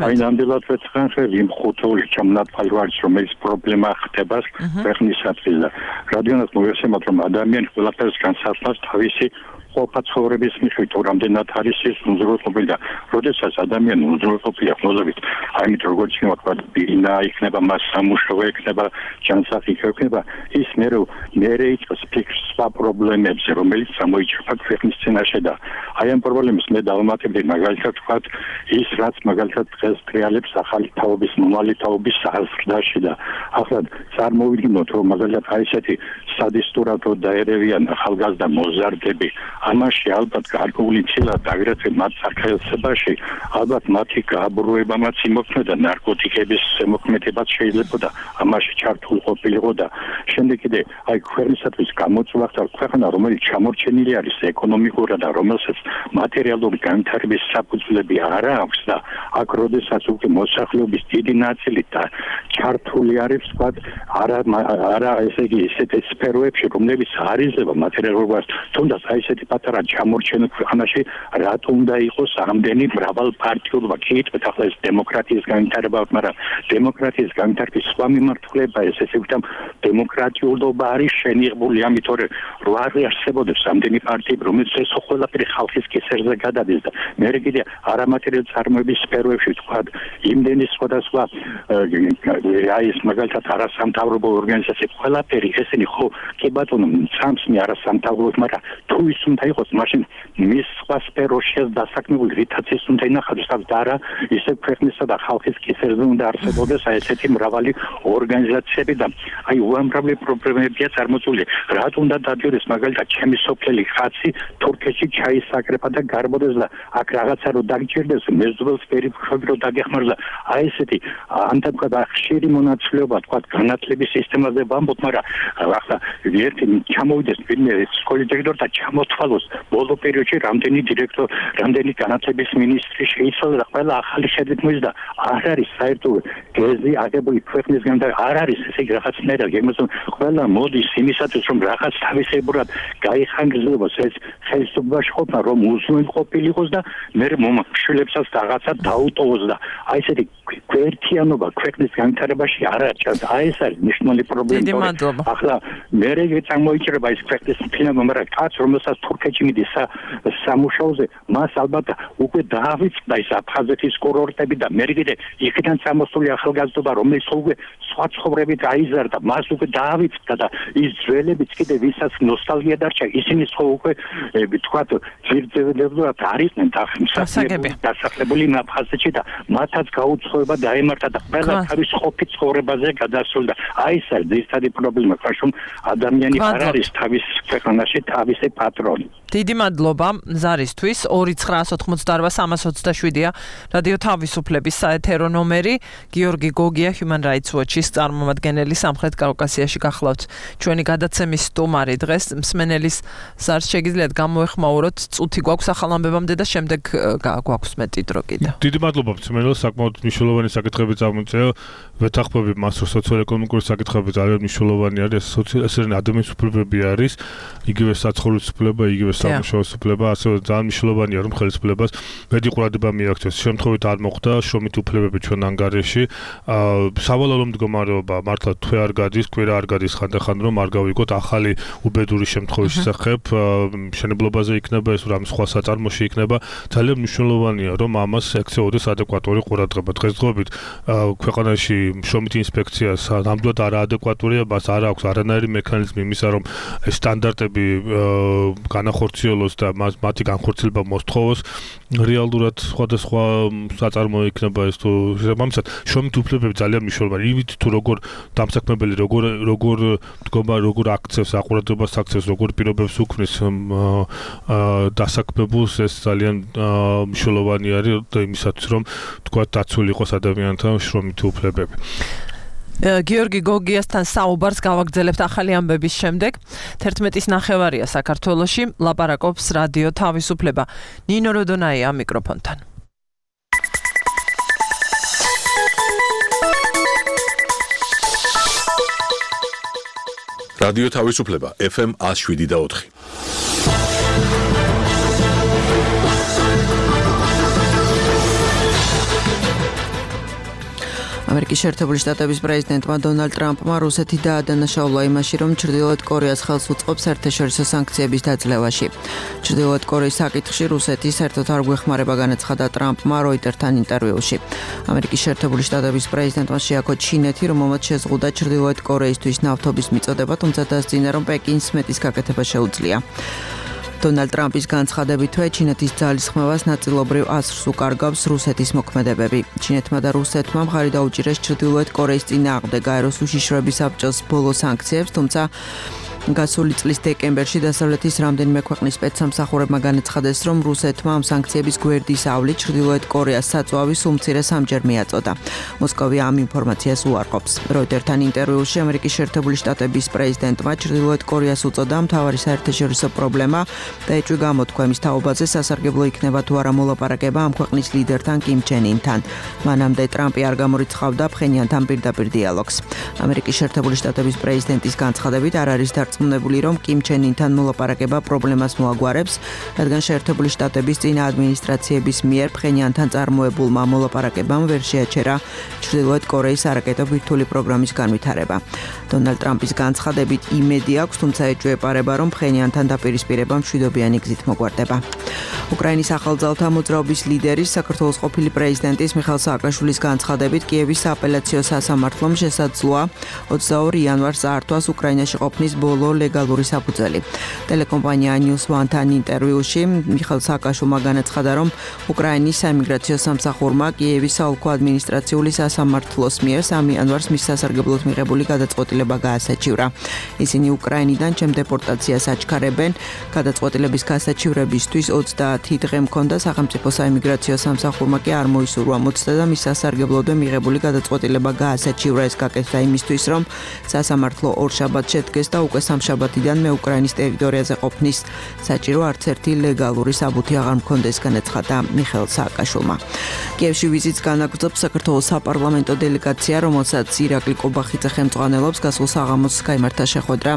აი ნამდვილად ვეცხრან იმ ხუთული ჩამონათვალიერს რომელიც პრობლემა ხდება ქვეყნისათვის და რადგანაც მოგესალმებთ რომ ადამიანი ყველაფერს განსაზღვრავს თავისი ყოფაცხოვრების მიხედვით თუ რამდენად არის ის უზრუნველყოფილი და როდესაც ადამიანი უზრუნველყოფილია ხმოზებით აი მით როგორც ვთქვათ ბინა იქნება მას სამუშაო იქნება ჯანსაღი იქნება ის მე მე იყოს ფიქსა პრობლემებზე რომელიც გამოიჩერება ქვეყნის წინაშე და აი ამ პრობლემებს მე დავამატებდი მაგალითად ვთქვათ ის რაც მაგალითად დღეს ტრიალებს ახალი თაობის მომავალი თაობის საზრდაში და ახლა წარმოვიდგინოთ რომ მაგალითად აი ესეთი სადისტურად დაერევიან ახალგაზრდა მოზარდები ამაში ალბათ გარკვეული ცილად აგრეთვე მათ სახელმწიფოში ალბათ მათი გაბრუებამაც იმოქმედა ნარკოტიკების შემოქმედებაც შეიძლება ამაში ჩართულ ყოფილიყო და შემდეგ კიდე აი ქვეყნისათვის გამოწვევს ქვეყნა რომელიც ჩამორჩენილი არის ეკონომიკურად და რომელსაც მატერიალური განვითარების საფუძვლები არ აქვს და აქ როდესაც უკვე მოსახლეობის დიდი ნაწილი და ჩართული არის ვთქვათ არა არა ესე იგი ესეთ სფეროებში რომლებიც არ იძლევა მატერიალურობას თუნდაც აი ესეთი პატარა ჩამორჩენილ ქვეყანაში რატო უნდა იყოს ამდენი მრავალპარტიულობა კითხვით ახლა ეს დემოკრატიის განვითარება მაგრამ დემოკრატიის განვითარების სხვა მიმართულება ეს ესე ვთქვათ დემოკრატიულობა არის შენიღებული ამიტომ რომ არ არსებობს ამდენი პარტიები რომელიც ეს ყველაფერი ხალხის კისერზე გადადის და მე კიდე არამატერიალურ წარმოების სფეროებში ვთქვათ იმდენი სხვადასხვა აი ეს მაგალითად არასამთავრობო ორგანიზაციები ყველაფერი ესენი ხო კი ბატონო სამს მე არასამთავრობო მაგრამ თუ ის უნდა იყოს მაშინ მის სხვა სფეროში დასაქმებული რითაც ის უნდა ინახავდეს და არა ისე ქვეყნისა და ხალხის კისერზე უნდა არსებობდეს აი ესეთი მრავალი ორგანიზაციები და აი უამრავი პრობლემებია წარმოწული რატო უნდა დადიოდეს მაგალითად ჩემი სოფელი ხაცი თურქეთში ჩაისაკრება და გარბოდეს და აქ რაღაცა რო დაგჭირდეს მეზობელს პერიφერიები რო დაგეხმარება აი ესეთი ანთებდა ხშირი მონაცვლეობა თქვა განათლების სისტემაზე ვამბობ მაგრამ ახლა ერთი ჩამოვიდეს ვინმე სკოლის დირექტორი და ჩამოთვალოს ბოლო პერიოდში რამდენი დირექტორი რამდენი განათლების მინისტრი შეიცვალა და ყველა ახალი შედეგი მოიზდა არ არის საერთოდ გეზი აგებული ქვეყნისგან და არ არის ესე რაღაცნაირად გემოსო ყველა მოდის იმისათვის რომ რაღაც თავისებურად გაიხანგრძლოს ეს ხელისუფლებაში ყოფნა რომ უზრუნველყოფილიყოს და მე მომხშილებსაც რაღაცა დაუტოვოს და აი ესეთი ერთიანობა ქვეყნის განვითარებაში არ არჩევს აი ეს არის მნიშვნელოვანი პრობლემა ახლა მე რეგე წარმოიჭრება ის ქვეყნის ფინანსები მაგრამ კაც რომელსაც თურქეთში მიდის სამუშაოზე მას ალბათ უკვე დაავიწყდა ის აფხაზეთის კურორტები და მე კიდე იქიდან წამოსული ახალგაზრდობა რომელიც უკვე სხვა ცხოვრებით აიზარდა მას უკვე დაავიწყდა და ის ძველებიც კიდე ვისაც ნოსტალგია დარჩა ისინი ხო უკვე ვთქვათ ძირძებულად არისნენ დასახლებული აფხაზეთში და მათაც გაუცხოება დაემართა და ყველა თავის ყოფით ცხოვრებაზე გადასულდა აი ეს არის ძირითადი პრობლემა ხაშում ადამიანი არ არის თავის ქვეყანაში თავისი პატრონი დიდი მადლობა ზარისთვის ორი ცხრა ოთხმოცდაოთხ სამას ოცდაშვიდია რადიო თავისუფლების საეთერო ნომერი გიორგი გოგია Human Rights Watch-ის წარმომადგენელი სამხრეთ კავკასიაში გახლავთ ჩვენი გადაცემის სტუმარი დღეს მსმენელის ზარს შეგიძლიათ გამოეხმაუროთ წუთი გვაქვს ახალ ამბებამდე და შემდეგ გვაქვს მეტი დრო კიდე დიდი მადლობა მსმენელს საკმაოდ მნიშვნელოვანი საკითხები წამოწევა ვეთანხმები მას რომ სოციალ-ეკონომიკური საკითხები ძალიან მნიშვნელოვანი არის სოციალ-ადამიანის უფლებები არის იგივე საცხოვრებლის ხელისუფლება, იგივე სამუშაოს უფლება, ასევე ძალიან მნიშვნელოვანია, რომ ხელისუფლებას მეტი ყურადღება მიაქცევს. შემთხვევით არ მოხდა შრომითი უფლებები ჩვენ ანგარიში. სავალალო მდგომარეობა მართლა თვე არ გადის, კვირა არ გადის ხანდახან, რომ არ გავიგოთ ახალი უბედური შემთხვევის შესახებ, მშენებლობაზე იქნება ეს რამ სხვა საწარმოში იქნება. ძალიან მნიშვნელოვანია, რომ ამას ექცეოდეს ადეკვატური ყურადღება. დღესდღეობით ქვეყანაში შრომითი ინსპექციას ნამდვილად არაადეკვატურია, მას არ აქვს არანაირი მექანიზმი იმისა, რომ ეს სტანდარტები განახორციელოს და მათი განხორციელება მოსთხოვოს. რეალურად სხვადასხვა საწარმო იქნება ეს თუ შესაბამისად შრომითი უფლებები ძალიან მნიშვნელოვანია. იმით თუ როგორ დამსაქმებელი როგორ როგორ მდგომა როგორ აქცევს აყურადობას აქცევს როგორ პირობებს უქმნის დასაქმებულს ეს ძალიან მნიშვნელოვანი არის იმისათვის რომ თქვა დაცული იყოს ადამიანთა შრომითი უფლებები. გიორგი გოგიასთან საუბარს გავაგრძელებთ ახალი ამბების შემდეგ. თერთმეტის ნახევარია საქართველოში, ლაპარაკობს რადიო თავისუფლება. ნინო როდონაია მიკროფონთან. რადიო თავისუფლება ეფ ემ one oh seven და four. ამერიკის შეერთებული შტატების პრეზიდენტმა დონალდ ტრამპმა რუსეთი დაადანაშაულა იმაში, რომ ჩრდილოეთ კორეას ხელს უწყობს საერთაშორისო სანქციების დაძლევაში. ჩრდილოეთ კორეის საკითხში რუსეთი საერთოდ არ გვეხმარება განაცხადა ტრამპმა როიტერთან ინტერვიუში. ამერიკის შეერთებული შტატების პრეზიდენტმა შეაქო ჩინეთი, რომელმაც შეზღუდა ჩრდილოეთ კორეისთვის ნავთობის მიწოდება, თუმცა დასძინა, რომ პეკინს მეტის გაკეთება შეუძლია. დონალდ ტრამპის განცხადებითვე ჩინეთის ძალისხმევას ნაწილობრივ ასრს უკარგავს რუსეთის მოქმედებები. ჩინეთმა და რუსეთმა მხარი დაუჭირეს ჩრდილოეთ კორეის წინააღმდეგ აეროს უშიშროების საბჭოს ბოლო სანქციებს, თუმცა გასული წლის დეკემბერში დასავლეთის რამდენიმე ქვეყნის სპეცსამსახურებმა განაცხადეს, რომ რუსეთმა ამ სანქციების გვერდის ავლით ჩრდილოეთ კორეას საწვავის უმცირე სამჯერ მიაწოდა. მოსკოვი ამ ინფორმაციას უარყოფს. როიტერთან ინტერვიუში ამერიკის შეერთებული შტატების პრეზიდენტმა ჩრდილოეთ კორეას უწოდა მთავარი საერთაშორისო პრობლემა და ეჭვი გამოთქვა იმის თაობაზე სასარგებლო იქნება თუ არა მოლაპარაკება ამ ქვეყნის ლიდერთან კიმ ჩენ ინთან. მანამდე ტრამპი არ გამორიცხავდა ფხენიანთან პირდაპირ დიალოგს. ამერიკის შეერთებული შტატების პრეზიდენტის განცხადებით არ არის წმუნებული, რომ კიმ ჩენ ინთან მოლაპარაკება პრობლემას მოაგვარებს, რადგან შეერთებული შტატების წინა ადმინისტრაციების მიერ ფხენიანთან წარმოებულმა მოლაპარაკებამ ვერ შეაჩერა ჩრდილოეთ კორეის არაკეტო ბირთვული პროგრამის განვითარება. დონალდ ტრამპის განცხადებით იმედი აქვს, თუმცა ეჭვი ეპარება, რომ ფხენიანთან დაპირისპირება მშვიდობიანი გზით მოგვარდება. უკრაინის ახალძალთა მოძრაობის ლიდერის საქართველოს ყოფილი პრეზიდენტის მიხაილ სააკაშვილის განცხადებით კიევის სააპელაციო სასამართლომ შესაძლოა ოცდაორ იანვარს წაართვას უკრაინაში ყოფნის ბოლო ლეგალური საფუძველი. ტელეკომპანია News One-თან ინტერვიუში მიხაილ სააკაშვილმა განაცხადა, რომ უკრაინის საიმიგრაციო სამსახურმა კიევის საოლქო ადმინისტრაციული სასამართლოს მიერ სამი იანვარს მის სასარგებლოდ მიღებული გადაწყვეტილება გაასაჩივრა. ისინი უკრაინიდან ჩემ დეპორტაციას აჩქარებენ. გადაწყვეტილების გასაჩივრებისთვის ოცდაათი დღე მქონდა, სახელმწიფო საიმიგრაციო სამსახურმა კი არ მოისურვა მოცდა და მის სასარგებლოდვე მიღებული გადაწყვეტილება გაასაჩივრა. ეს გაკეთდა იმისთვის, რომ სასამართლო ორ შაბათს შედგეს და უკვე სამშაბათიდან მე უკრაინის ტერიტორიაზე ყოფნის საჭირო არც ერთი ლეგალური საბუთი აღარ მქონდეს, განაცხადა მიხაილ სააკაშვილმა. კიევში ვიზიტს განაგრძობს საქართველოს საპარლამენტო დელეგაცია, რომელსაც ირაკლი კობახიძე ხელმძღვანელობს. გასულ საღამოს გაიმართა შეხვედრა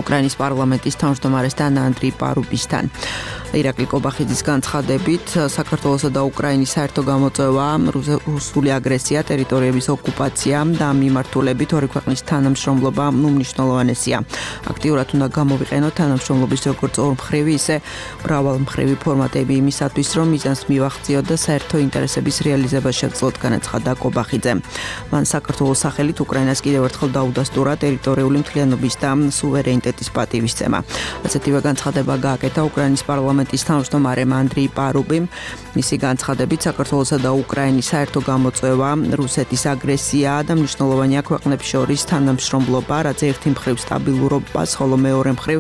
უკრაინის პარლამენტის თავმჯდომარესთან ანდრეი პარუბისთან. ირაკლი კობახიძის განცხადებით, საქართველოსა და უკრაინის საერთო გამოწვევა რუსული აგრესია, ტერიტორიების ოკუპაცია და ამ მიმართულებით ორი ქვეყნის თანამშრომლობა უმნიშვნელოვანესია. აქტიურად უნდა გამოვიყენოთ თანამშრომლობის როგორც ორმხრივი, ისე მრავალმხრივი ფორმატები იმისათვის, რომ მიზანს მივახციოთ და საერთო ინტერესების რეალიზება შევძლოთ, განაცხადა კობახიძე. მან საქართველოს სახელით უკრაინას კიდევ ერთხელ დაუდასტურა ტერიტორიული მთლიანობის და სუვერენიტეტის პატივისცემა. ასეთივე განცხადება გააკეთა უკრაინის პარლამენტის თავმჯდომარემ ანდრეი პარუბიმ. მისი განცხადებით, საქართველოსა და უკრაინის საერთო გამოწვევა რუსეთის აგრესია და მნიშვნელოვანია ქვეყნებს შორის თანამშრომლობა, რაც ერთი მხრივ სტაბილურობას, ხოლო მეორე მხრივ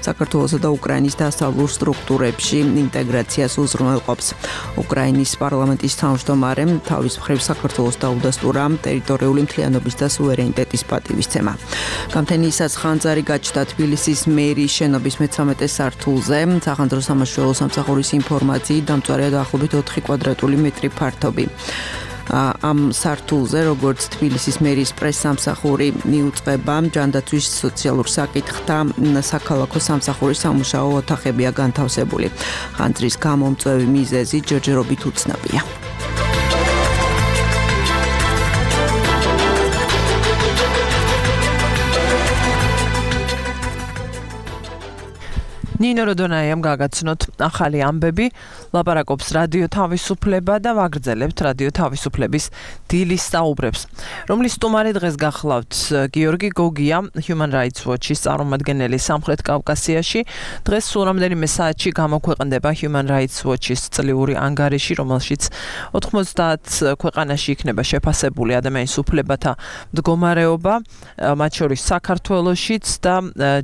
საქართველოსა და უკრაინის დასავლურ სტრუქტურებში ინტეგრაციას უზრუნველყოფს. უკრაინის პარლამენტის თავმჯდომარემ თავის მხრივ საქართველოს დაუდასტურა ტერიტორიული მთლიანობის და სუვერენიტეტის პატივისცემა. გამთენიისას ხანძარი გაჩნდა თბილისის მერიის შენობის მეცხრამეტე სართულზე. სახანძრო სამაშველო სამსახურის ინფორმაციით დამწვარია დაახლოებით ოთხი კვადრატული მეტრი ფართობი. ამ სართულზე, როგორც თბილისის მერის პრეს-სამსახური მიუწყება, ჯანდაცვის სოციალურ საკითხთა საქალაქო სამსახურის სამუშაო ოთახებია განთავსებული. ხანძრის გამომწვევი მიზეზი ჯერჯერობით უცნობია. ნინო როდონაიამ გაგაცნოთ ახალი ამბები, ლაპარაკობს რადიო თავისუფლება და ვაგრძელებთ რადიო თავისუფლების დილის საუბრებს, რომლის სტუმარი დღეს გახლავთ გიორგი გოგია, Human Rights Watch-ის წარმომადგენელი სამხრეთ კავკასიაში. დღეს სულ რამდენიმე საათში გამოქვეყნდება Human Rights Watch-ის წლიური ანგარიში, რომელშიც ოთხმოცდაათ ქვეყანაში იქნება შეფასებული ადამიანის უფლებათა მდგომარეობა, მათ შორის საქართველოშიც და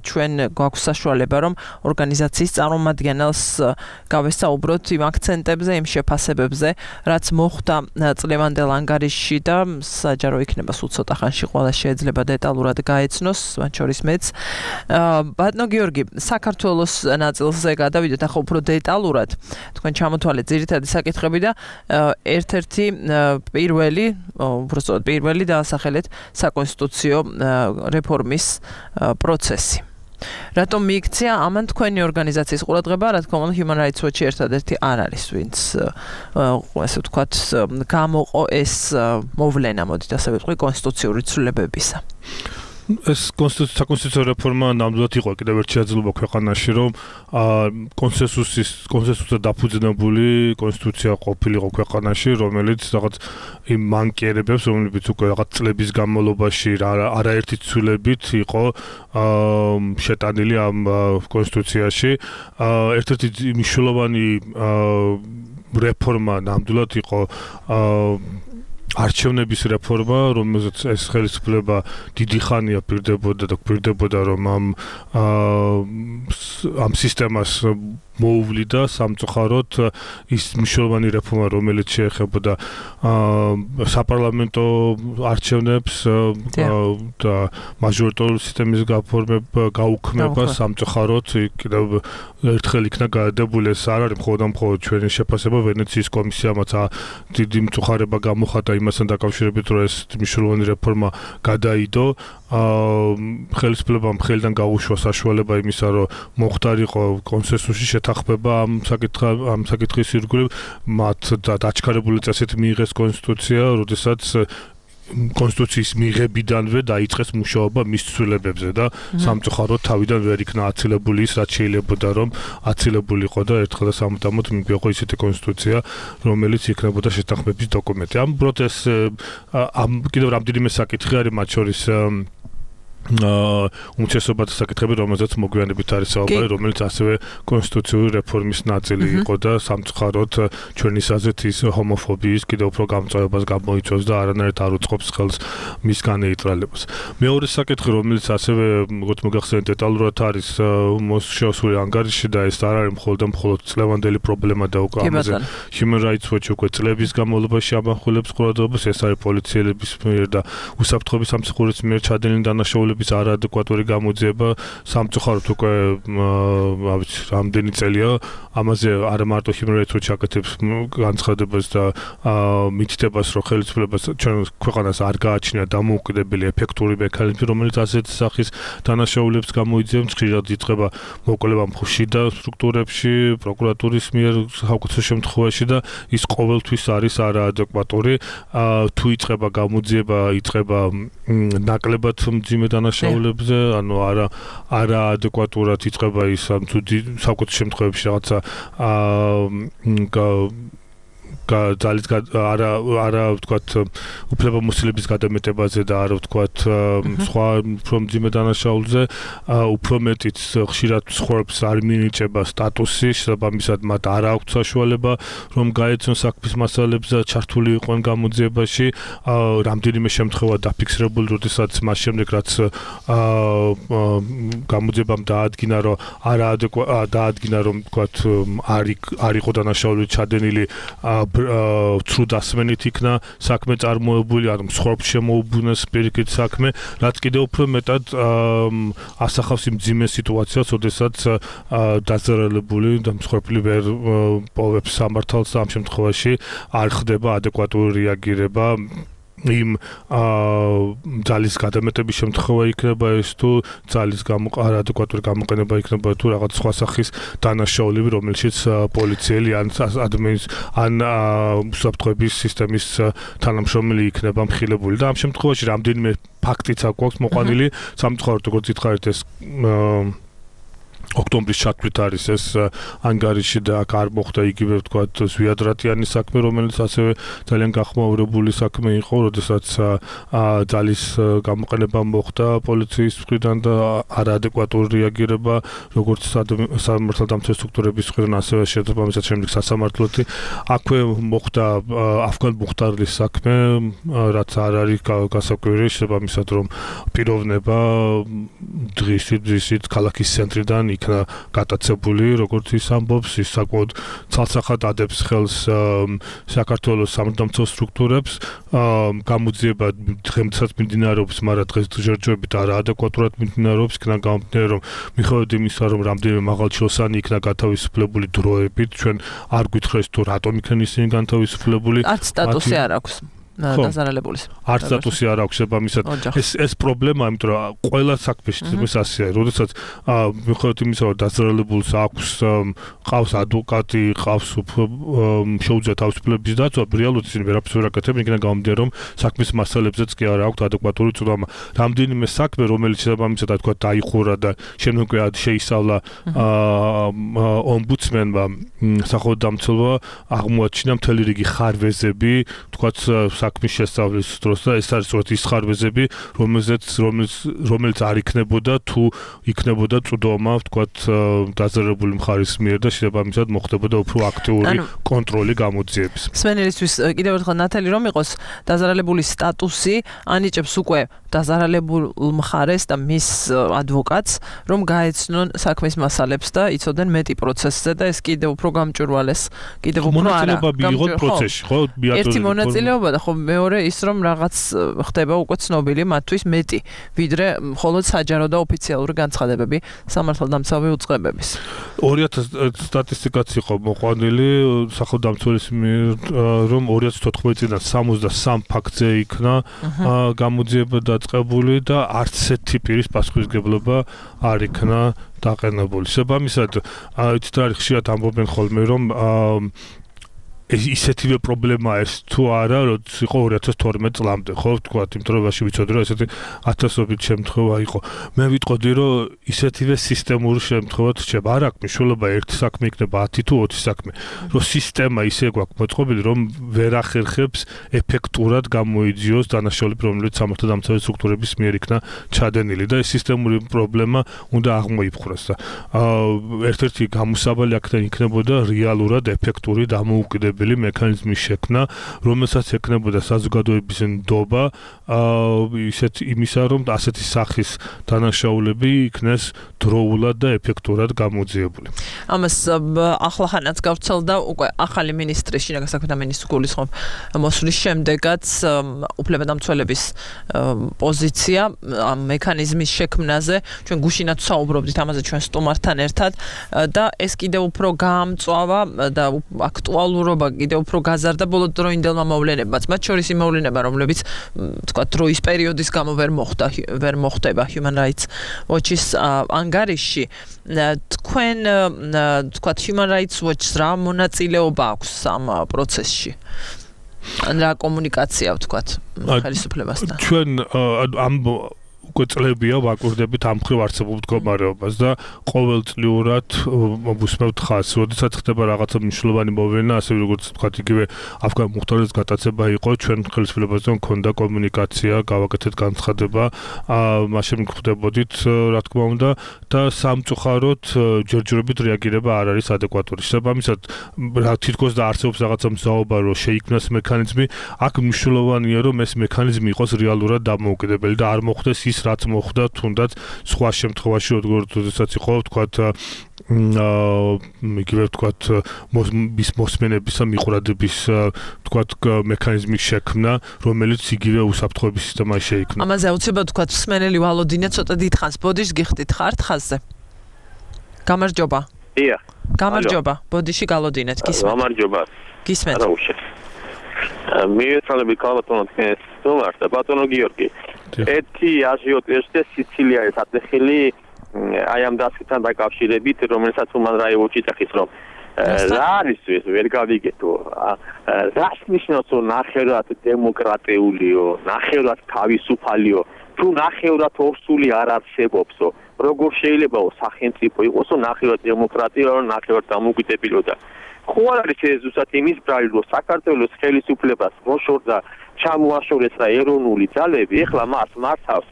ჩვენ გვაქვს საშუალება, რომ ორგანიზაციის წარმომადგენელს გავესაუბროთ იმ აქცენტებზე, იმ შეფასებებზე, რაც მოხდა წლევანდელ ანგარიშში და საჯარო იქნება სულ ცოტა ხანში ყველა შეიძლება დეტალურად გაეცნოს, მათ შორის მეც. ბატონო გიორგი, საქართველოს ნაწილზე გადავიდეთ ახლა უფრო დეტალურად. თქვენ ჩამოთვალეთ ძირითადი საკითხები და ერთ-ერთი პირველი, უბრალოდ პირველი დაასახელეთ საკონსტიტუციო რეფორმის პროცესი. რატომ მიიქცია ამან თქვენი ორგანიზაციის ყურადღება, რა თქმა უნდა Human Rights Watch-ი ერთადერთი არ არის, ვინც ასე ვთქვათ, გამოყო ეს მოვლენა, მოდით ასე ვიტყვი, კონსტიტუციური ცვლილებებისა. ეს საკონსტიტუციო რეფორმა ნამდვილად იყო კიდევ ერთ შეაძლებლობა ქვეყანაში, რომ კონსენსუსის კონსენსუსზე დაფუძნებული კონსტიტუცია ყოფილიყო ქვეყანაში, რომელიც რაღაც იმ მანკიერებებს, რომლებიც უკვე რაღაც წლების განმავლობაში არაერთი ცვლილებით იყო შეტანილი ამ კონსტიტუციაში. ერთ-ერთი მნიშვნელოვანი რეფორმა ნამდვილად იყო არჩევნების რეფორმა, რომელზეც ეს ხელისუფლება დიდი ხანია პირდებოდა და პირდებოდა, რომ ამ ამ სისტემას მოუვლიდა სამწუხაროდ ის მნიშვნელოვანი რეფორმა, რომელიც შეეხებოდა საპარლამენტო არჩევნებს და მაჟორიტარული სისტემის გაფორმება, გაუქმება სამწუხაროდ კიდევ ერთხელ იქნა გადადებული. ეს არ არის მხოლოდ მხოლოდ ჩვენი შეფასება, ვენეციის კომისიამაც დიდი მწუხარება გამოხატა იმასთან დაკავშირებით, რომ ეს მნიშვნელოვანი რეფორმა გადაიდო. ხელისუფლებამ ხელიდან გაუშვა საშუალება იმისა, რომ მოხდარიყო კონსენსუსში შეთანხმება ამ საკითხა ამ საკითხის ირგვლივ, მათ დაჩქარებული წესით მიიღეს კონსტიტუცია, როდესაც კონსტიტუციის მიღებიდანვე დაიწყეს მუშაობა მის ცვლილებებზე და სამწუხაროდ თავიდან ვერ იქნა აცილებული ის, რაც შეიძლებოდა რომ აცილებულიყო და ერთხელ და სამუდამოდ მიგვიყვო ისეთი კონსტიტუცია, რომელიც იქნებოდა შეთანხმების დოკუმენტი. ამ პროცეს ამ კიდევ რამდენიმე საკითხი არის, მათ შორის უმცირესობათა საკითხები, რომელზეც მოგვიანებით არის საუბარი, რომელიც ასევე კონსტიტუციური რეფორმის ნაწილი იყო და სამწუხაროდ ჩვენი აზრით ის ჰომოფობიის კიდევ უფრო გამწვავებას გამოიწვევს და არანაირად არ უწყობს ხელს მის განეიტრალებას. მეორე საკითხი, რომელიც ასევე როგორც მოგახსენეთ დეტალურად არის მოსშოსული ანგარიში და ეს არ არის მხოლოდ და მხოლოდ წლევანდელი პრობლემა და უკვე ამაზე Human Rights Watch უკვე წლების განმავლობაში ამახვილებს ყურადღებას, ეს არის პოლიციელების მიერ და უსაფრთხოების სამსახურის მიერ ჩადენილი დანაშაულები არაადეკვატური გამოძიება. სამწუხაროდ უკვე რამდენი წელია ამაზე არა მარტო Human Rights Watch აკეთებს განცხადებას და მითითებას, რომ ხელისუფლებას ჩვენ ქვეყანას არ გააჩნია დამოუკიდებელი ეფექტური მექანიზმი, რომელიც ასეთი სახის დანაშაულებს გამოიძიებს. ხშირად იწყება მოკვლევა მხუშიდა სტრუქტურებში, პროკურატურის მიერ საუკეთესო შემთხვევაში და ის ყოველთვის არის არაადეკვატური. თუ იწყება გამოძიება, იწყება ნაკლებად მძიმე დანაშაულებზე, ანუ არა არაადეკვატურად იწყება ის თუ საუკეთესო შემთხვევებში რაღაცა ძალით არა არა ვთქვათ უფლებამოსილების გადამეტებაზე და არა ვთქვათ სხვა უფრო მძიმე დანაშაულზე, უფრო მეტიც ხშირად ცხოვრებს არ მინიჭება სტატუსი, შესაბამისად მათ არ აქვთ საშუალება რომ გაეცნონ საქმის მასალებზე, ჩართული იყვნენ გამოძიებაში. რამდენიმე შემთხვევა დაფიქსირებული, როდესაც მას შემდეგ რაც გამოძიებამ დაადგინა, რომ არაადეკვატ დაადგინა, რომ ვთქვათ არ არ იყო დანაშაული ჩადენილი ცრუ დასმენით იქნა საქმე წარმოებული, ანუ მსხვერპლს შემოუბრუნეს პირიქით საქმე, რაც კიდევ უფრო მეტად ასახავს იმ ძიმე სიტუაციას, როდესაც დაზარალებული და მსხვერპლი ვერ პოვებს სამართალს და ამ შემთხვევაში არ ხდება ადეკვატური რეაგირება იმ ძალის გადამეტების შემთხვევა იქნება ეს თუ ძალის ადეკვატური გამოყენება იქნება თუ რაღაც სხვა სახის დანაშაულები, რომელშიც პოლიციელი ან ადმინის ან უსაფრთხოების სისტემის თანამშრომელი იქნება მხილებული და ამ შემთხვევაში რამდენიმე ფაქტიც აქვს მოყვანილი სამწუხაროდ როგორც ითხარით ეს ოქტომბრის ჩათვლით არის ეს ანგარიში და აქ არ მოხდა იგივე ვთქვათ ზვიადრატიანის საქმე, რომელიც ასევე ძალიან გახმაურებული საქმე იყო, როდესაც ძალის გამოყენება მოხდა პოლიციის მხრიდან და არაადეკვატური რეაგირება როგორც სამართალდამცავი სტრუქტურების მხრიდან, ასევე შესაბამისად შემდეგ სასამართლოთი. აქვე მოხდა აფგან მუხტარლის საქმე, რაც არ არის გასაკვირი, შესაბამისად რომ პიროვნება დღისით დღისით ქალაქის ცენტრიდან იქნა გატაცებული, როგორც ის ამბობს, ის საკმაოდ ცალსახად ადებს ხელს საქართველოს სამართალდამცავ სტრუქტურებს, გამოძიება დღემდესაც მიმდინარეობს, მაგრამ დღეს ჯერჯერობით არაადეკვატურად მიმდინარეობს, იქნა გამომდინარე, რომ მიხედავთ იმისა, რომ რამდენიმე მაღალჩილოსანი იქნა გათავისუფლებული დროებით, ჩვენ არ გვითხრეს თუ რატომ იქნენ ისინი განთავისუფლებული. არც სტატუსი არ აქვს. დაზარალებულის. არც სტატუსი არ აქვს შესაბამისად. ეს ეს პრობლემაა, იმიტომ რომ ყველა საქმეში ეს ასეა, როდესაც მიხედავთ იმისა, რომ დაზარალებულს აქვს ყავს ადვოკატი, ყავს შეუძლია თავისუფლების დაცვა, რეალურად ისინი ვერაფერს ვერ აკეთებენ, იქნება გამომდინარე, რომ საქმის მასალებზეც კი არ აქვს ადეკვატური წვდომა. რამდენიმე საქმე, რომელიც შესაბამისად თქვა დაიხურა და შემდგომ შეისწავლა ომბუდსმენმა, სახელმწიფო აღმოაჩინა მთელი რიგი ხარვეზები, თქვა საქმის შესწავლის დროს და ეს არის სწორედ ის ხარვეზები, რომელზეც რომელიც არ იქნებოდა თუ იქნებოდა წვდომა, ვთქვათ, დაზარალებული მხარის მიერ და შესაბამისად მოხდებოდა უფრო აქტიური კონტროლი გამოძიების. სვენელისთვის კიდევ ერთხელ ნათელი რომ იყოს დაზარალებულის სტატუსი ანიჭებს უკვე დაზარალებულ მხარეს და მის ადვოკატს, რომ გაეცნონ საქმის მასალებს და იცოდნენ მეტი პროცესზე და ეს კიდევ უფრო გამჭვირვალეს, კიდევ უფრო არა. მონაწილეობა მიიღოთ პროცესში, ხო? ერთი მონაწილეობა და ხო მეორე ის რომ რაღაც ხდება უკვე ცნობილი მათთვის მეტი, ვიდრე მხოლოდ საჯარო და ოფიციალური განცხადებები სამართალდამცავი უწყებების. ორი ათას სტატისტიკაც იყო მოყვანილი სახელმწიფოს მიერ, რომ ორი ათას თოთხმეტი წლიდან სამოცდასამ ფაქტზე იქნა გამოძიება დაწყებული და არც ერთი პირის პასუხისმგებლობა არ იქნა დაყენებული. შესაბამისად, იცით რა ხშირად ამბობენ ხოლმე რომ ეს ისეთივე პრობლემაა ეს თუ არა, როდის იყო ორი ათას თორმეტ წლამდე, ხო, ვთქვათ, იმიტომ რომ ვიცოდი რომ ესეთი ათასობით შემთხვევა იყო. მე ვიტყოდი, რომ ისეთივე სისტემური შემთხვევაც რჩება. არ აქვს მნიშვნელობა ერთი საქმე იქნება ათი თუ ოცი საქმე. რომ სისტემა ისე გვაქვს მოწყობილი, რომ ვერ ახერხებს ეფექტურად გამოიძიოს დანაშაულები, რომელიც სამართალდამცავი სტრუქტურების მიერ იქნა ჩადენილი და ეს სისტემური პრობლემა უნდა აღმოიფხვრას და ერთ-ერთი გამოსავალი აქედან იქნებოდა რეალურად ეფექტური დამოუკიდებელი მექანიზმის შექმნა, რომელსაც ექნებოდა საზოგადოების ნდობა ისეთ იმისა, რომ ასეთი სახის დანაშაულები იქნეს დროულად და ეფექტურად გამოძიებული. ამას ახლახანაც გავრცელდა უკვე ახალი მინისტრის, შინაგან საქმეთა მინისტრის გულისხმობ მოსვლის შემდეგაც უფლებადამცველების პოზიცია ამ მექანიზმის შექმნაზე, ჩვენ გუშინაც საუბრობდით ამაზე ჩვენ სტუმართან ერთად და ეს კიდევ უფრო გაამწვავა და აქტუალურობა კიდევ უფრო გაზარდა ბოლოდროინდელმა მოვლენებმაც, მათ შორის იმ მოვლენება, რომლებიც თქვა დროის პერიოდის გამო ვერ მოხდა, ვერ მოხდება Human Rights Watch-ის ანგარიში. თქვენ თქვა Human Rights Watch-ს რა მონაწილეობა აქვს ამ პროცესში? ან რა კომუნიკაცია ვთქვათ ხელისუფლებასთან? ჩვენ ამ უკვე წლებია ვაკურდებით ამ ხრივ არსებულ მდგომარეობას და ყოველწლიურად ვუსმევთ ხაზს, როდესაც ხდება რაღაცა მნიშვნელოვანი მოვლენა, ასე როგორც ვთქვათ, იგივე აფგან მუხტარლის გატაცება იყო, ჩვენ ხელისუფლებასთან მქონდა კომუნიკაცია, გავაკეთეთ განცხადება, მაშინ გვხვდებოდით, რა თქმა უნდა, და სამწუხაროდ ჯერჯერობით რეაგირება არ არის ადეკვატური. შესაბამისად, რა თითქოს და არსებობს რაღაცა მზაობა, რომ შეიქმნას მექანიზმი, აქ მნიშვნელოვანია, რომ ეს მექანიზმი იყოს რეალურად დამოუკიდებელი და არ მოხდეს ის რაც მოხდა თუნდაც სხვა შემთხვევაში, როდესაც იყო, ვთქვათ, იგივე ვთქვათ მის მოსმენებისა მიყურადების ვთქვათ მექანიზმის შექმნა, რომელიც იგივე უსაფრთხოების სისტემაში შეიქმნა. ამაზე აუცილებლად ვთქვათ მსმენელი ვალოდინა ცოტა დიდხანს ბოდიშს გიხდით ხართ ხაზზე. გამარჯობა. დიახ. გამარჯობა. ბოდიში გალოდინეთ, გისმენთ. გამარჯობა. გისმენთ. არა უშე. მიეცალები კალბატონო თქვენ სტუმარს და ბატონო გიორგი. ერთი აჟიოტაჟი სიცილიაში ატეხილი აი ამ დასკთან დაკავშირებით, რომელსაც უმან რაიოში წახის რომ რა არის ეს ვერ გავიგეთო. რას ნიშნავს რომ ნახევრად დემოკრატიულიო, ნახევრად თავისუფალიო, თუ ნახევრად ორსული არ არსებობსო. როგორ შეიძლება სახელმწიფო იყოსო ნახევრად დემოკრატია, ნახევრად დამოუკიდებელო და ხო არ არის ეს ზუსტად იმის ბრალი რომ საქართველოს ხელისუფლებას მოშორდა ჩამოაშორეს რა ეროვნული ძალები, ეხლა მას მართავს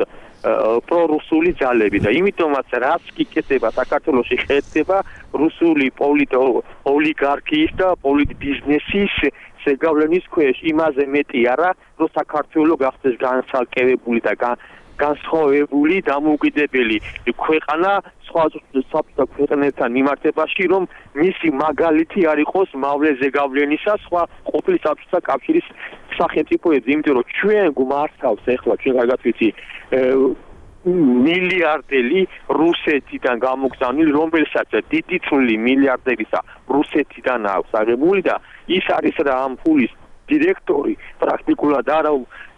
პრორუსული ძალები და იმიტომაც რაც გიკეთება საქართველოში ხდება რუსული პოლიტოლიგარქიის და პოლიტბიზნესის შეგავლენის ქვეშ იმაზე მეტი არა რომ საქართველო გახდეს განსაკუთრებული და განსხვავებული დამოუკიდებელი ქვეყანა სხვა საბჭოთა ქვეყნებთან მიმართებაში რომ მისი მაგალითი არ იყოს მავლე ზეგავლენისა სხვა ყოფილი საბჭოთა კავშირის სახელმწიფოებს იმიტომ რომ ჩვენ გვმართავს ეხლა ჩვენ კარგად ვიცი მილიარდელი რუსეთიდან გამოგზავნილი რომელსაც დიდი წვლილი მილიარდებისა რუსეთიდან აქვს აღებული და ის არის რა ამ ფულის დირექტორი პრაქტიკულად არა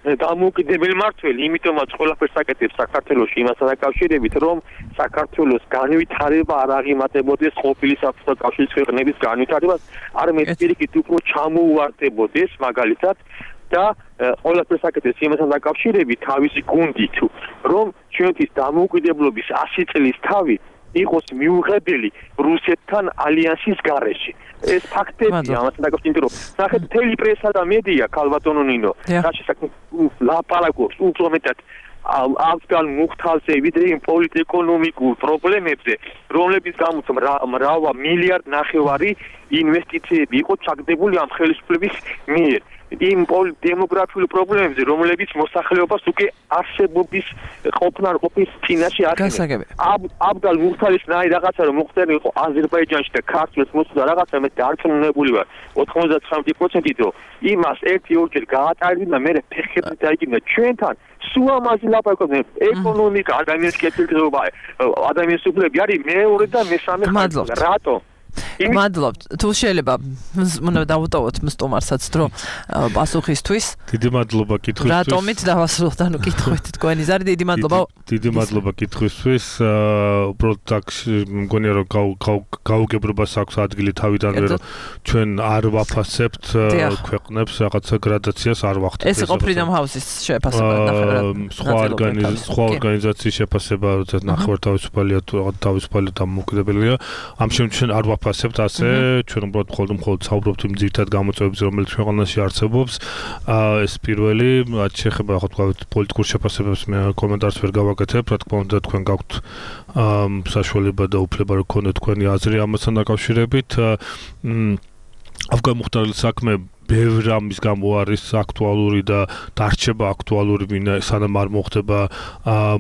დამოუკიდებელი მმართველი, იმიტომაც ყველაფერს აკეთებს საქართველოში იმასთან დაკავშირებით, რომ საქართველოს განვითარება არ აღიმატებოდეს ყოფილი საბჭოთა კავშირის ქვეყნების განვითარებას, არამედ პირიქით უფრო ჩამოუვარდებოდეს მაგალითად და ყველაფერს აკეთებს იმასთან დაკავშირებით თავისი გუნდით, რომ ჩვენთვის დამოუკიდებლობის ასი წლის თავი იყოს მიუღებელი რუსეთთან ალიანსის გარეშე. ეს ფაქტებია, ამასთან დაკავშირებით, რომ ნახეთ, მთელი პრესა და მედია, ქალბატონო ნინო, რაც შესაძლოა ლაპარაკობს უფრო მეტად ავგან მუხთალზე, ვიდრე იმ პოლიტეკონომიკურ პრობლემებზე, რომლებიც გამოც მრავა მილიარდ ნახევარი ინვესტიციები იყო ჩაგდებული ამ ხელისუფლების მიერ. იმ დემოგრაფიულ პრობლემებზე, რომლებიც მოსახლეობას უკვე არსებობის ყოფნა არ ყოფნის წინაშე აკეთებს. აბგალ მუხთალის ნაი რაღაცა რომ მოხდენი იყო აზერბაიჯანში და ქართლებს მოსულა რაღაცა მე დარწმუნებული ვარ ოცდათხმეტი პროცენტით რომ იმას ერთი ორჯერ გაატარებინა და მე ფეხებით დაიგინა ჩვენთან სულ ამაზე ლაპარაკობენ ეკონომიკა ადამიანის კეთილდღეობა ადამიანის უფლებები არის მეორე და მესამე ხაზი რატო მადლობთ. თუ შეიძლება უნდა დავუტოვოთ სტუმარსაც დრო პასუხისთვის. დიდი მადლობა კითხვისთვის. რატომით დავასრულოთ ანუ კითხვით თქვენი ზარი დიდი მადლობა. დიდი მადლობა კითხვისთვის. უბრალოდ აქ მგონია რომ გაუგებრობას აქვს ადგილი თავიდანვე რომ ჩვენ არ ვაფასებთ ქვეყნებს რაღაცა გრადაციას არ ვახდით. ეს იყო Freedom House-ის შეფასება ნახევრად. სხვა სხვა ორგანიზაციის შეფასება როდესაც ნახევრად თავისუფალია თუ რაღაც თავისუფალი დამოუკიდებელია. ამ შემთხვევაში ჩვენ არ ვაფასებთ ასე ჩვენ უბრალოდ მხოლოდ მხოლოდ საუბრობთ იმ ძირითად გამოწვევებზე რომელიც ქვეყანაში არსებობს ეს პირველი რაც შეეხება ხო თქვა პოლიტიკურ შეფასებებს მე კომენტარს ვერ გავაკეთებ რა თქმა უნდა თქვენ გაქვთ საშუალება და უფლება რომ გქონდეთ თქვენი აზრი ამასთან დაკავშირებით ავგან მუხტარის საქმე ბევრი ამის გამო არის აქტუალური და დარჩება აქტუალური ვინა სანამ არ მოხდება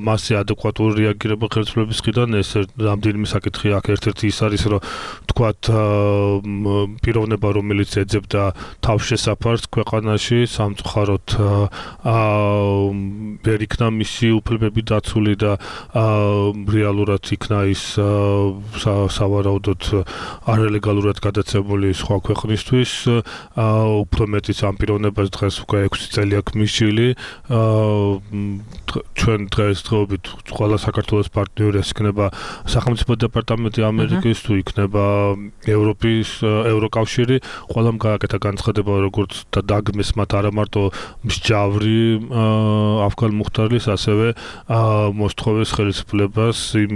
მასზე ადეკვატური რეაგირება ხელისუფლების მხრიდან ეს რამდენიმე საკითხი აქ ერთ-ერთი ის არის რომ თქვათ პიროვნება რომელიც ეძებდა თავშესაფარს ქვეყანაში სამწუხაროდ ვერ იქნა მისი უფლებები დაცული და რეალურად იქნა ის სავარაუდოდ არალეგალურად გადაცემული სხვა ქვეყნისთვის უფრო მეტიც ამ პიროვნებას დღეს უკვე ექვსი წელი აქვს მისული ჩვენ დღესდღეობით ყველა საქართველოს პარტნიორს იქნება სახელმწიფო დეპარტამენტი ამერიკის თუ იქნება ევროპის ევროკავშირი ყველამ გააკეთა განცხადება როგორც და დაგმეს მათ არა მარტო მსჯავრი ავგან მუხტარის ასევე მოსთხოვეს ხელისუფლებას იმ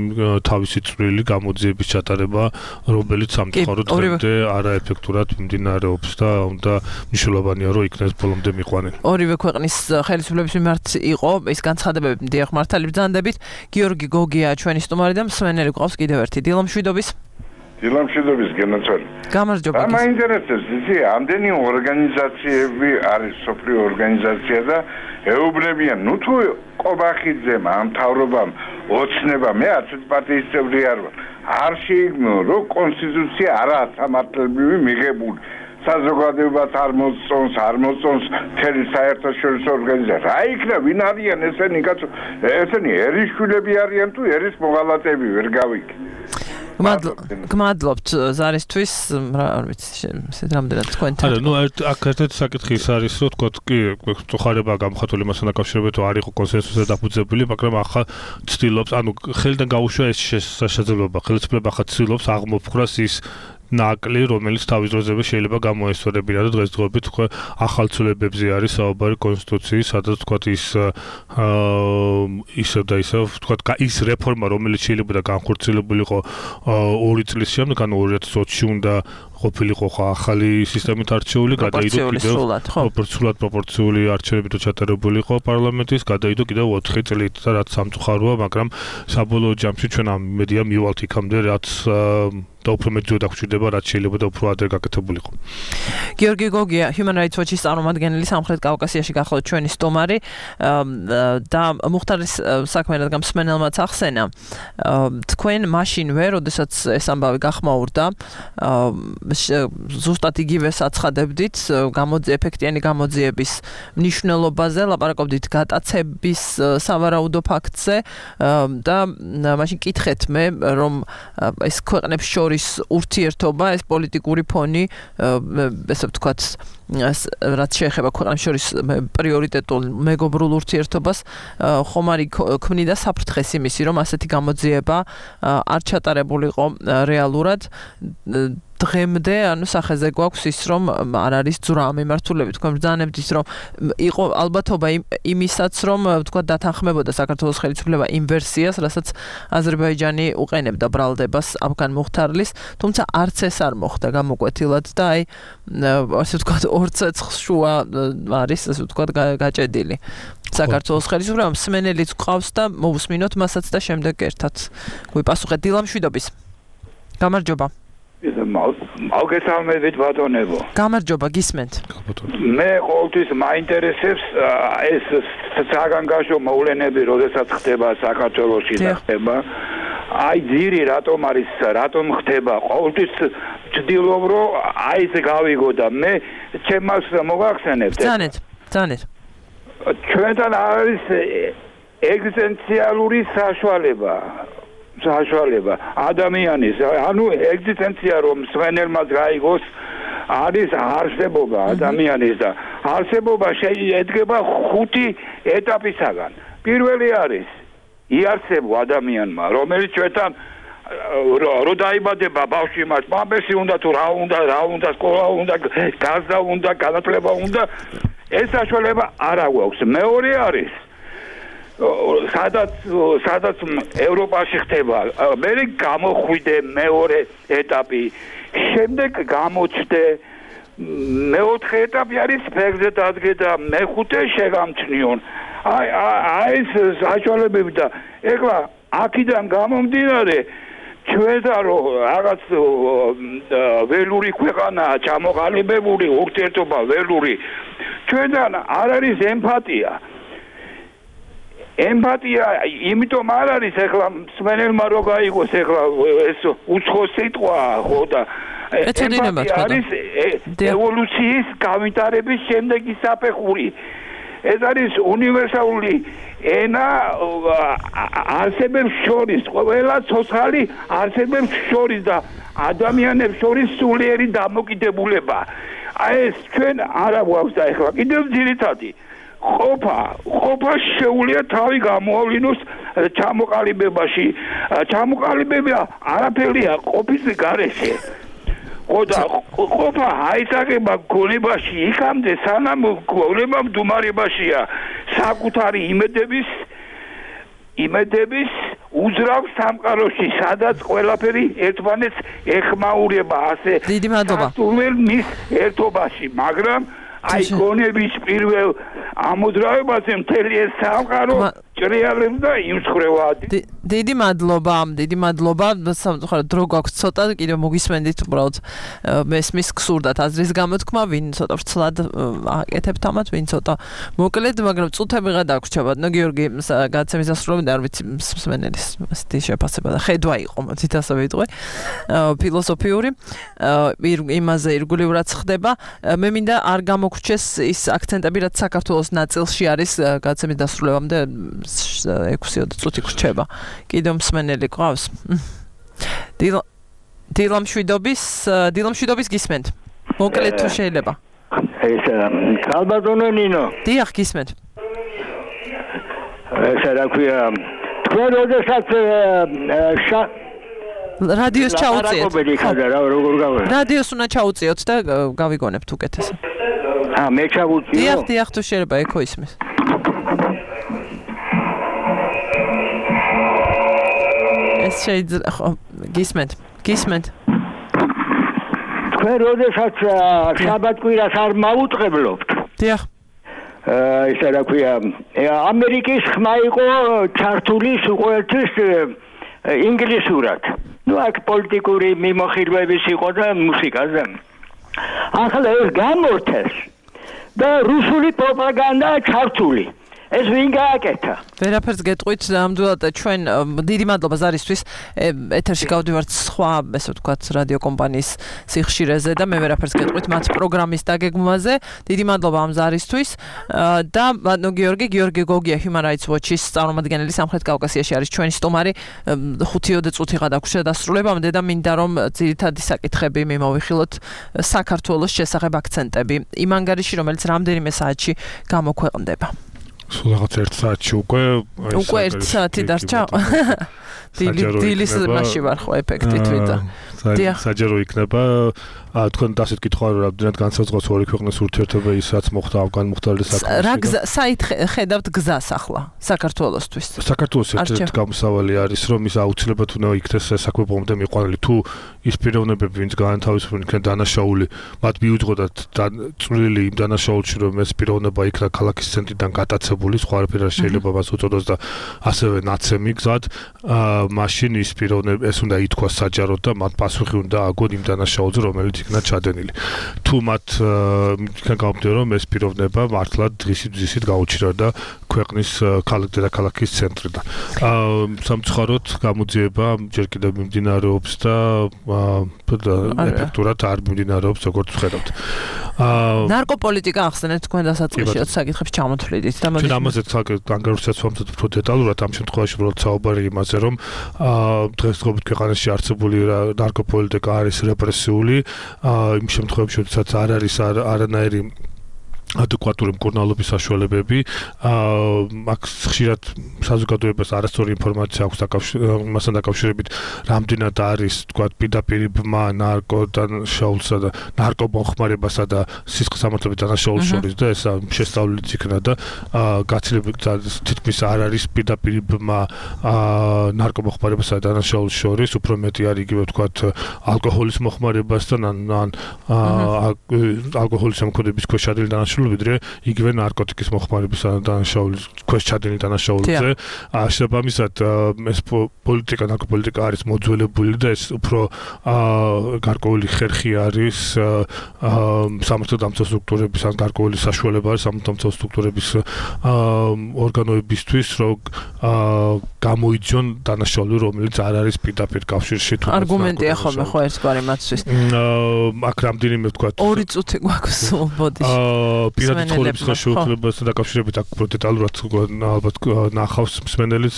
თავისი წვლილი გამოძიების ჩატარება რომელიც სამწუხაროდ დღემდე არაეფექტურად მიმდინარეობს და უნდა მნიშვნელოვანია რომ იქნეს ბოლომდე მიყვანენ. ორივე ქვეყნის ხელისუფლების მიმართ იყო ეს განცხადებები დიახ მართალი ბრძანდებით. გიორგი გოგია ჩვენი სტუმარი და მსმენელი გვყავს კიდევ ერთი დილა მშვიდობის. დილამშვიდობის გენაცვალე. გამარჯობა. რა მაინტერესებს ისი ამდენი ორგანიზაციები არის სოფლიო ორგანიზაცია და ეუბნებიან ნუ თუ ყობახიძემ ამ თავრობამ ოცნება მე არც პარტიის წევრი არ ვარ. არ შეიგნო რომ კონსტიტუცია არაა სამართლებრივი მიღებული. საზოგადოებას არ მოწონს, არ მოწონს მთელი საერთაშორისო ორგანიზაცია. რა იქნა ვინ არიან ესენი კაცო? ესენი ერისშვილები არიან თუ ერის მოღალატეები ვერ გავიქ. გმადლობთ ზარისთვის, არ ვიცი, ისეთ რამდენად თქვენთან. არა, ნუ აქ ერთ-ერთი საკითხი ის არის, რომ თქო, კი, წუხარება გამხატული მასთან დაკავშირებით, რომ არ იყო კონსენსუსზე დაფუძნებული, მაგრამ ახლა ცდილობს, ანუ ხელიდან გაუშვა ეს შესაძლებლობა, ხელისუფლება ახლა ცდილობს აღმოფხვრას ის ნაკლი, რომელიც თავის დროზე შეიძლება გამოესწორებინა და დღესდღეობით თქვა ახალ ცვლილებებზე არის საუბარი კონსტიტუციის, სადაც თქვა ის ისევ და ისევ თქვა ის რეფორმა, რომელიც შეიძლება განხორციელებულიყო ორი წლის შემდეგ, ანუ ორი ათას ოცი უნდა ყოფილიყო ახალი სისტემით არჩეული, გადაიდო კიდევ პროპორციულად პროპორციული არჩევნებით ჩატარებულიყო პარლამენტის, გადაიდო კიდევ ოთხი წლით და რაც სამწუხაროა, მაგრამ საბოლოო ჯამში ჩვენ ამ მედია მივალთ იქამდე, რაც და უფრო მეტი დაგჭირდება, რაც შეიძლება და უფრო ადრე გაკეთებულიყო. გიორგი გოგია, Human Rights Watch-ის წარმომადგენელი სამხრეთ კავკასიაში გახლავთ ჩვენი სტუმარი და მუხტარის საქმე რადგან მსმენელმაც ახსენა. თქვენ მაშინვე, როდესაც ეს ამბავი გახმაურდა, ზუსტად იგივე საცხადებდით ეფექტიანი გამოძიების მნიშვნელობაზე, ლაპარაკობდით გატაცების სავარაუდო ფაქტზე და მაშინ კითხეთ მე, რომ ეს ქვეყნებს შორის ურთიერთობა, ეს პოლიტიკური ფონი, ესე ვთქვათ, რაც შეეხება ქვეყნებს შორის პრიორიტეტულ მეგობრულ ურთიერთობას, ხომ არ ქმნიდა საფრთხეს იმისი, რომ ასეთი გამოძიება არ ჩატარებულიყო რეალურად. დღემდე, ანუ სახეზე გვაქვს ის, რომ არ არის ძვრა ამ მიმართულებით. თქვენ ბრძანებთ, რომ იყო ალბათობა იმისაც, რომ თქვა დათანხმებოდა საქართველოს ხელისუფლება იმ ვერსიას, რასაც აზერბაიჯანი უყენებდა ბრალდებას აფგან მუხთარლის, თუმცა არც ეს არ მოხდა გამოკვეთილად და აი ასე ვთქვათ ორ ცეცხლს შუა არის, ასე ვთქვათ გაჭედილი. საქართველოს ხელისუფლება მსმენელიც გვყავს და მოვუსმინოთ მასაც და შემდეგ ერთად გვიპასუხეთ. დილამშვიდობის. გამარჯობა. მოგესალმებით ბატონებო. გამარჯობა, გისმენთ. მე ყოველთვის მაინტერესებს ეს საგანგაშო მოვლენები, როდესაც ხდება საქართველოში და ხდება. აი ძირი რატომ არის, რატომ ხდება? ყოველთვის ვცდილობ, რომ აი ეს გავიგო და მე ჩემს მოგახსენებთ. ძანეთ, ძანეთ. ჩვენთან არის ეგზისტენციალური საშუალება. საშუალება ადამიანის, ანუ ეგზისტენცია რომ მსმენელმა გაიგოს არის არსებობა ადამიანის და არსებობა შედგება ხუთი ეტაპისაგან. პირველი არის იარსებო ადამიანმა, რომელიც ჩვენთან რო დაიბადება ბავშვი მას მამესი უნდა თუ რა უნდა, რა უნდა სკოლა უნდა, გაზა უნდა, განათლება უნდა, ეს საშუალება არ აქვს. მეორე არის სადაც სადაც ევროპაში ხდება, მე გამოხვიდე მეორე ეტაპი, შემდეგ გამოჩდე მეოთხე ეტაპი არის ფეგზე დადგე და მეხუთე შეგამჩნიონ. აი აი ეს საშუალებები და ეხლა აქედან გამომდინარე ჩვენთან რო რაღაც ველური ქვეყანაა ჩამოყალიბებული ურთიერთობა ველური, ჩვენთან არ არის ემპათია. ემპათია იმიტომ არ არის ეხლა მსმენელმა რო გაიგოს ეხლა ეს უცხო სიტყვა ხო და ემპათია არის ევოლუციის განვითარების შემდეგი საფეხური. ეს არის უნივერსალური ენა არსებებს შორის, ყველა ცოცხალი არსებებს შორის და ადამიანებს შორის სულიერი დამოკიდებულება. აი ეს ჩვენ არა გვაქვს და ეხლა კიდევ ძირითადი ყოფა, ყოფა შეუძლია თავი გამოავლინოს ჩამოყალიბებაში. ჩამოყალიბება არაფერია ყოფის გარეშე. ხოდა ყოფა აისაგება გონებაში იქამდე სანამ გონება მდუმარებაშია საკუთარი იმედების იმედების უძრავ სამყაროში, სადაც ყველაფერი ერთმანეთს ეხმაურება ასე დიდი მადლობა მის ერთობაში, მაგრამ აი გონების პირველ ამ უძრავებაზე მთელი ეს სამყარო ჭრიალებს და იმსხრევად. დიდი მადლობა, დიდი მადლობა. სამწუხაროდ დრო გვაქვს ცოტა, კიდევ მოგისმენდით უბრალოდ მესმის გსურდათ აზრის გამოთქმა, ვინ ცოტა ვრცლად აკეთებთ ამათ, ვინ ცოტა მოკლედ, მაგრამ წუთები ღა დაგვრჩება. ნო გიორგი გადაცემის დასრულებამდე არ ვიცი მსმენელის ასეთი შეფასება და ხედვა იყო, მოდით ასე ვიტყვე. ფილოსოფიური იმაზე ირგვლივად ხდება. მე მინდა არ გამოგვრჩეს ის აქცენტები, რაც საქართველოს ნაწილში არის გადაცემის დასრულებამდე ექვსი წუთი გრჩება. კიდევ მსმენელი ყავს. დილამშვიდობის, დილამშვიდობის გისმენთ. მოკლედ თუ შეიძლება. ეს კალბატონო ნინო. დიახ, გისმენთ. ეს რა ქვია? თქვენ როდესაც რადიოს ჩაუწიეთ. რადიოს უნდა ჩაუწიოთ და გავიგონებთ უკეთესად. აა, მე ჩავუწიო. დიახ, დიახ, თუ შეიძლება, ეკო ისმის. ეს შეიძლება ხო გისმენთ, გისმენთ. თქვენ როდესაც შაბათ-კვირას არ მაუწყებლობთ. დიახ. აა, ისა რა ქვია, ამერიკის ხმა იყო ჩართული სულ ინგლისურად. ნუ აქ პოლიტიკური მიმოხილვების იყო და მუსიკაზე. ახლა ეს გამორთეს და რუსული პროპაგანდა ჩართული. ეს ვინ გააკეთა? ვერაფერს გეტყვით, ნამდვილად ჩვენ დიდი მადლობა ზარისთვის. ეთერში გავდივართ სხვა, ესე ვთქვათ, რადიო კომპანიის სიხშირეზე და მე ვერაფერს გეტყვით მათ პროგრამის დაგეგმვაზე. დიდი მადლობა ამ ზარისთვის და ნო გიორგი, გიორგი გოგია Human Rights Watch-ის წარმომადგენელი სამხრეთ კავკასიაში არის ჩვენი სტუმარი. ხუთი წუთი გადაგვრჩა დასრულებამდე და მინდა რომ ძირითადი საკითხები მიმოვიხილოთ საქართველოს შესახებ აქცენტები. იმ ანგარიში, რომელიც რამდენიმე საათში გამოქვეყნდება. სულ რაღაც ერთ საათში უკვე უკვე ერთ საათი დარჩა. დილის მასში ვარ ხო ეფექტით ვიდა. საჯარო იქნება. თქვენ დასეთ კითხვა რომ რამდენად განსაზღვრავს ორი ქვეყნის ურთიერთობა ისაც მოხდა ავგან მუხტარის საქმეში. რა გზა საით ხედავთ გზას ახლა საქართველოსთვის? საქართველოს ერთ-ერთი გამოსავალი არის რომ ის აუცილებლად უნდა იქნეს საქმე ბომბამდე მიყვანილი. თუ ის პიროვნებები ვინც განათავისუფლდნენ იქნება დანაშაული, მათ მიუძღოდათ წვლილი იმ დანაშაულში რომ ეს პიროვნება იქნა ქალაქის ცენტრიდან გატაცებული, სხვა არაფერი არ შეიძლება მას უწოდოს და ასევე ნაცემი გზად, მაშინ ის პიროვნება ეს უნდა ითქვას საჯაროდ და მათ პასუხი უნდა აგონ იმ დანაშაულზე, რომელიც იქნა ჩადენილი. თუ მათ იქნა გამომდინარე რომ ეს პიროვნება მართლად დღისით ძისით გაუჩირავდა ქვეყნის დედაქალაქის ცენტრიდან. სამწუხაროდ გამოძიება ჯერ კიდევ მიმდინარეობს და ეფექტურად არ მიმდინარეობს როგორც ვხედავთ. ნარკოპოლიტიკა ახსენეთ თქვენ დასაწყისშიაც საკითხებს ჩამოთვლიდით და ჩვენ ამაზე ანგარიშსაც ვამზადებ უფრო დეტალურად ამ შემთხვევაში უბრალოდ საუბარი იმაზე რომ დღესდღეობით ქვეყანაში არსებული ნარკოპოლიტიკა არის რეპრესიული იმ შემთხვევებში როდესაც არ არის არანაირი ადეკვატური მკურნალობის საშუალებები აქ ხშირად საზოგადოებას არასწორი ინფორმაცია აქვს მასთან დაკავშირებით რამდენად არის თქვა პირდაპირ ბმა ნარკოდანაშაულსა და ნარკომოხმარებასა და სისხლის სამართლების დანაშაულს შორის და ეს შესწავლილიც იქნა და გაცილებით თითქმის არ არის პირდაპირ ბმა ნარკომოხმარებასა და დანაშაულს შორის უფრო მეტი არის იგივე თქვა ალკოჰოლის მოხმარებასთან ან ალკოჰოლის სამკურნალობის ქვეშ ადილი დანაშაულს ვიდრე იგივე ნარკოტიკის მოხმარების დანაშაულის ქვეშ ჩადენილი დანაშაულზე. შესაბამისად ეს პოლიტიკა, ნარკოპოლიტიკა არის მოძველებული და ეს უფრო გარკვეული ხერხი არის სამართალდამცავ სტრუქტურების ან გარკვეული საშუალება არის სამართალდამცავ სტრუქტურების ორგანოებისთვის, რომ გამოიძიონ დანაშაული, რომელიც არ არის პირდაპირ კავშირში თუ არგუმენტია ხოლმე ხო ერთგვარი მათთვის. აქ რამდენიმე ვთქვა ორი წუთი გვაქვს ბოდიში. პირადი ცხოვრების ხელშეუხლებასთან დაკავშირებით აქ უფრო დეტალურად ალბათ ნახავს მსმენელიც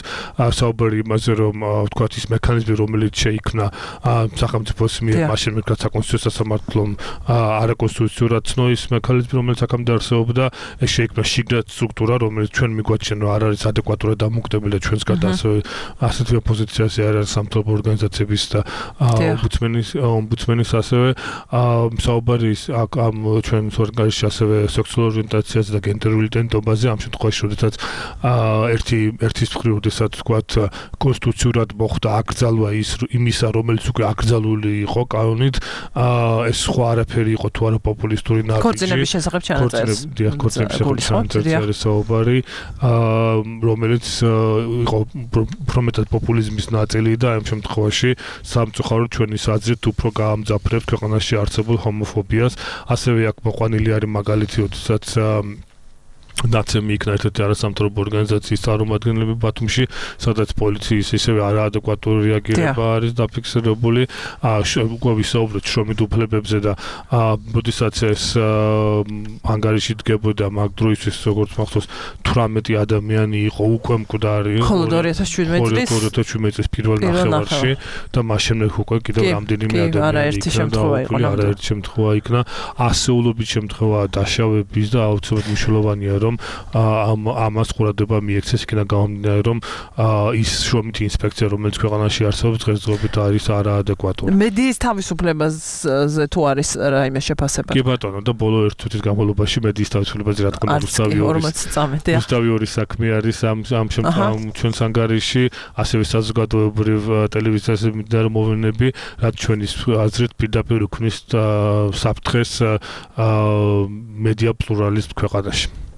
საუბარი იმაზე რომ ვთქვათ ის მექანიზმი რომელიც შეიქმნა სახელმწიფოს მიერ მაშინ მეკრად საკონსტიტუციო სასამართლომ არაკონსტიტუციურად ცნო ის მექანიზმი რომელიც აქამდე არსებობდა ეს შეიქმნა შიგნით სტრუქტურა რომელიც ჩვენ მიგვაჩნია რომ არ არის ადეკვატურად დამოკიდებული და ჩვენს გარდა ასევე ასეთი ოპოზიციაზე არ არის სამთავრობო ორგანიზაციების და ომბუდსმენის ომბუდსმენის ასევე საუბარი ამ ჩვენს ორგანიზაციაში ასევე სექსუალურ ორიენტაციაზე და გენდერულ იდენტობაზე ამ შემთხვევაში როდესაც ერთი ერთის მხრივ როდესაც ვთქვათ კონსტიტუციურად მოხდა აკრძალვა ის იმისა რომელიც უკვე აკრძალული იყო კანონით ეს სხვა არაფერი იყო თუ არა პოპულისტური ნაბიჯი ქორწინების შესახებ ჩანაწერს ქორწინების შესახებ ჩანაწერს საუბარი რომელიც იყო პრომეტად პოპულიზმის ნაწილი და ამ შემთხვევაში სამწუხაროდ ჩვენი აზრით უფრო გაამძაფრებს ქვეყანაში არსებულ ჰომოფობიას ასევე აქ მოყვანილი არის მაგალითი როდესაც ნაცემი იქნა ერთ-ერთი არასამთავრობო ორგანიზაციის წარმომადგენლები ბათუმში, სადაც პოლიციის ისევე არაადეკვატური რეაგირება არის დაფიქსირებული. უკვე ვისაუბრეთ შრომით უფლებებზე და როდესაც ეს ანგარიში დგებოდა მაგ დროისთვის როგორც მახსოვს თვრამეტი ადამიანი იყო უკვე მკვდარი. მხოლოდ ორი ათას შვიდმეტი წლის ორი ათას შვიდმეტი წლის პირველ ნახევარში და მას შემდეგ უკვე კიდევ რამდენიმე ადამიანი იქნა. არაერთი შემთხვევა იქნა. ასეულობით შემთხვევა დაშავების და აუცილებლად მნიშვნელოვანია რომ ამ ამას ყურადღება მიექცეს იქნა გამომდინარე რომ ის შრომითი ინსპექცია რომელიც ქვეყანაში არსებობს დღესდღეობით არის არაადეკვატური. მედიის თავისუფლებაზე თუ არის რაიმე შეფასება? კი ბატონო და ბოლო ერთ წუთის განმავლობაში მედიის თავისუფლებაზე რა თქმა უნდა უსტავი ორი საქმე არის ამ ამ შემთხვევაში ჩვენს ანგარიში ასევე საზოგადოებრივ ტელევიზიაზე მიმდინარე მოვლენები რაც ჩვენის აზრით პირდაპირ უქმნის საფრთხეს მედია პლურალიზმს ქვეყანაში.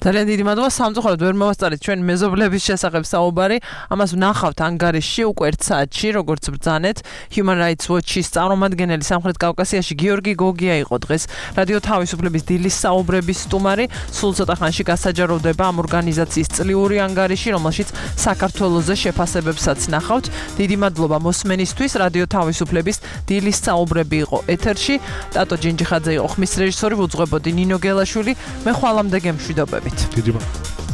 ძალიან დიდი მადლობა სამწუხაროდ ვერ მოვასწარეთ ჩვენ მეზობლების შესახებ საუბარი ამას ვნახავთ ანგარიშში უკვე ერთ საათში როგორც ბრძანეთ Human Rights Watch-ის წარმომადგენელი სამხრეთ კავკასიაში გიორგი გოგია იყო დღეს რადიო თავისუფლების დილის საუბრების სტუმარი სულ ცოტა ხანში გასაჯაროვდება ამ ორგანიზაციის წლიური ანგარიში რომელშიც საქართველოზე შეფასებებსაც ნახავთ დიდი მადლობა მოსმენისთვის რადიო თავისუფლების დილის საუბრები იყო ეთერში ტატო ჯინჯიხაძე იყო ხმის რეჟისორი უძღვებოდი ნინო გელაშვილი მე ხვალამდე გემშვიდობებით დიდი მადლობა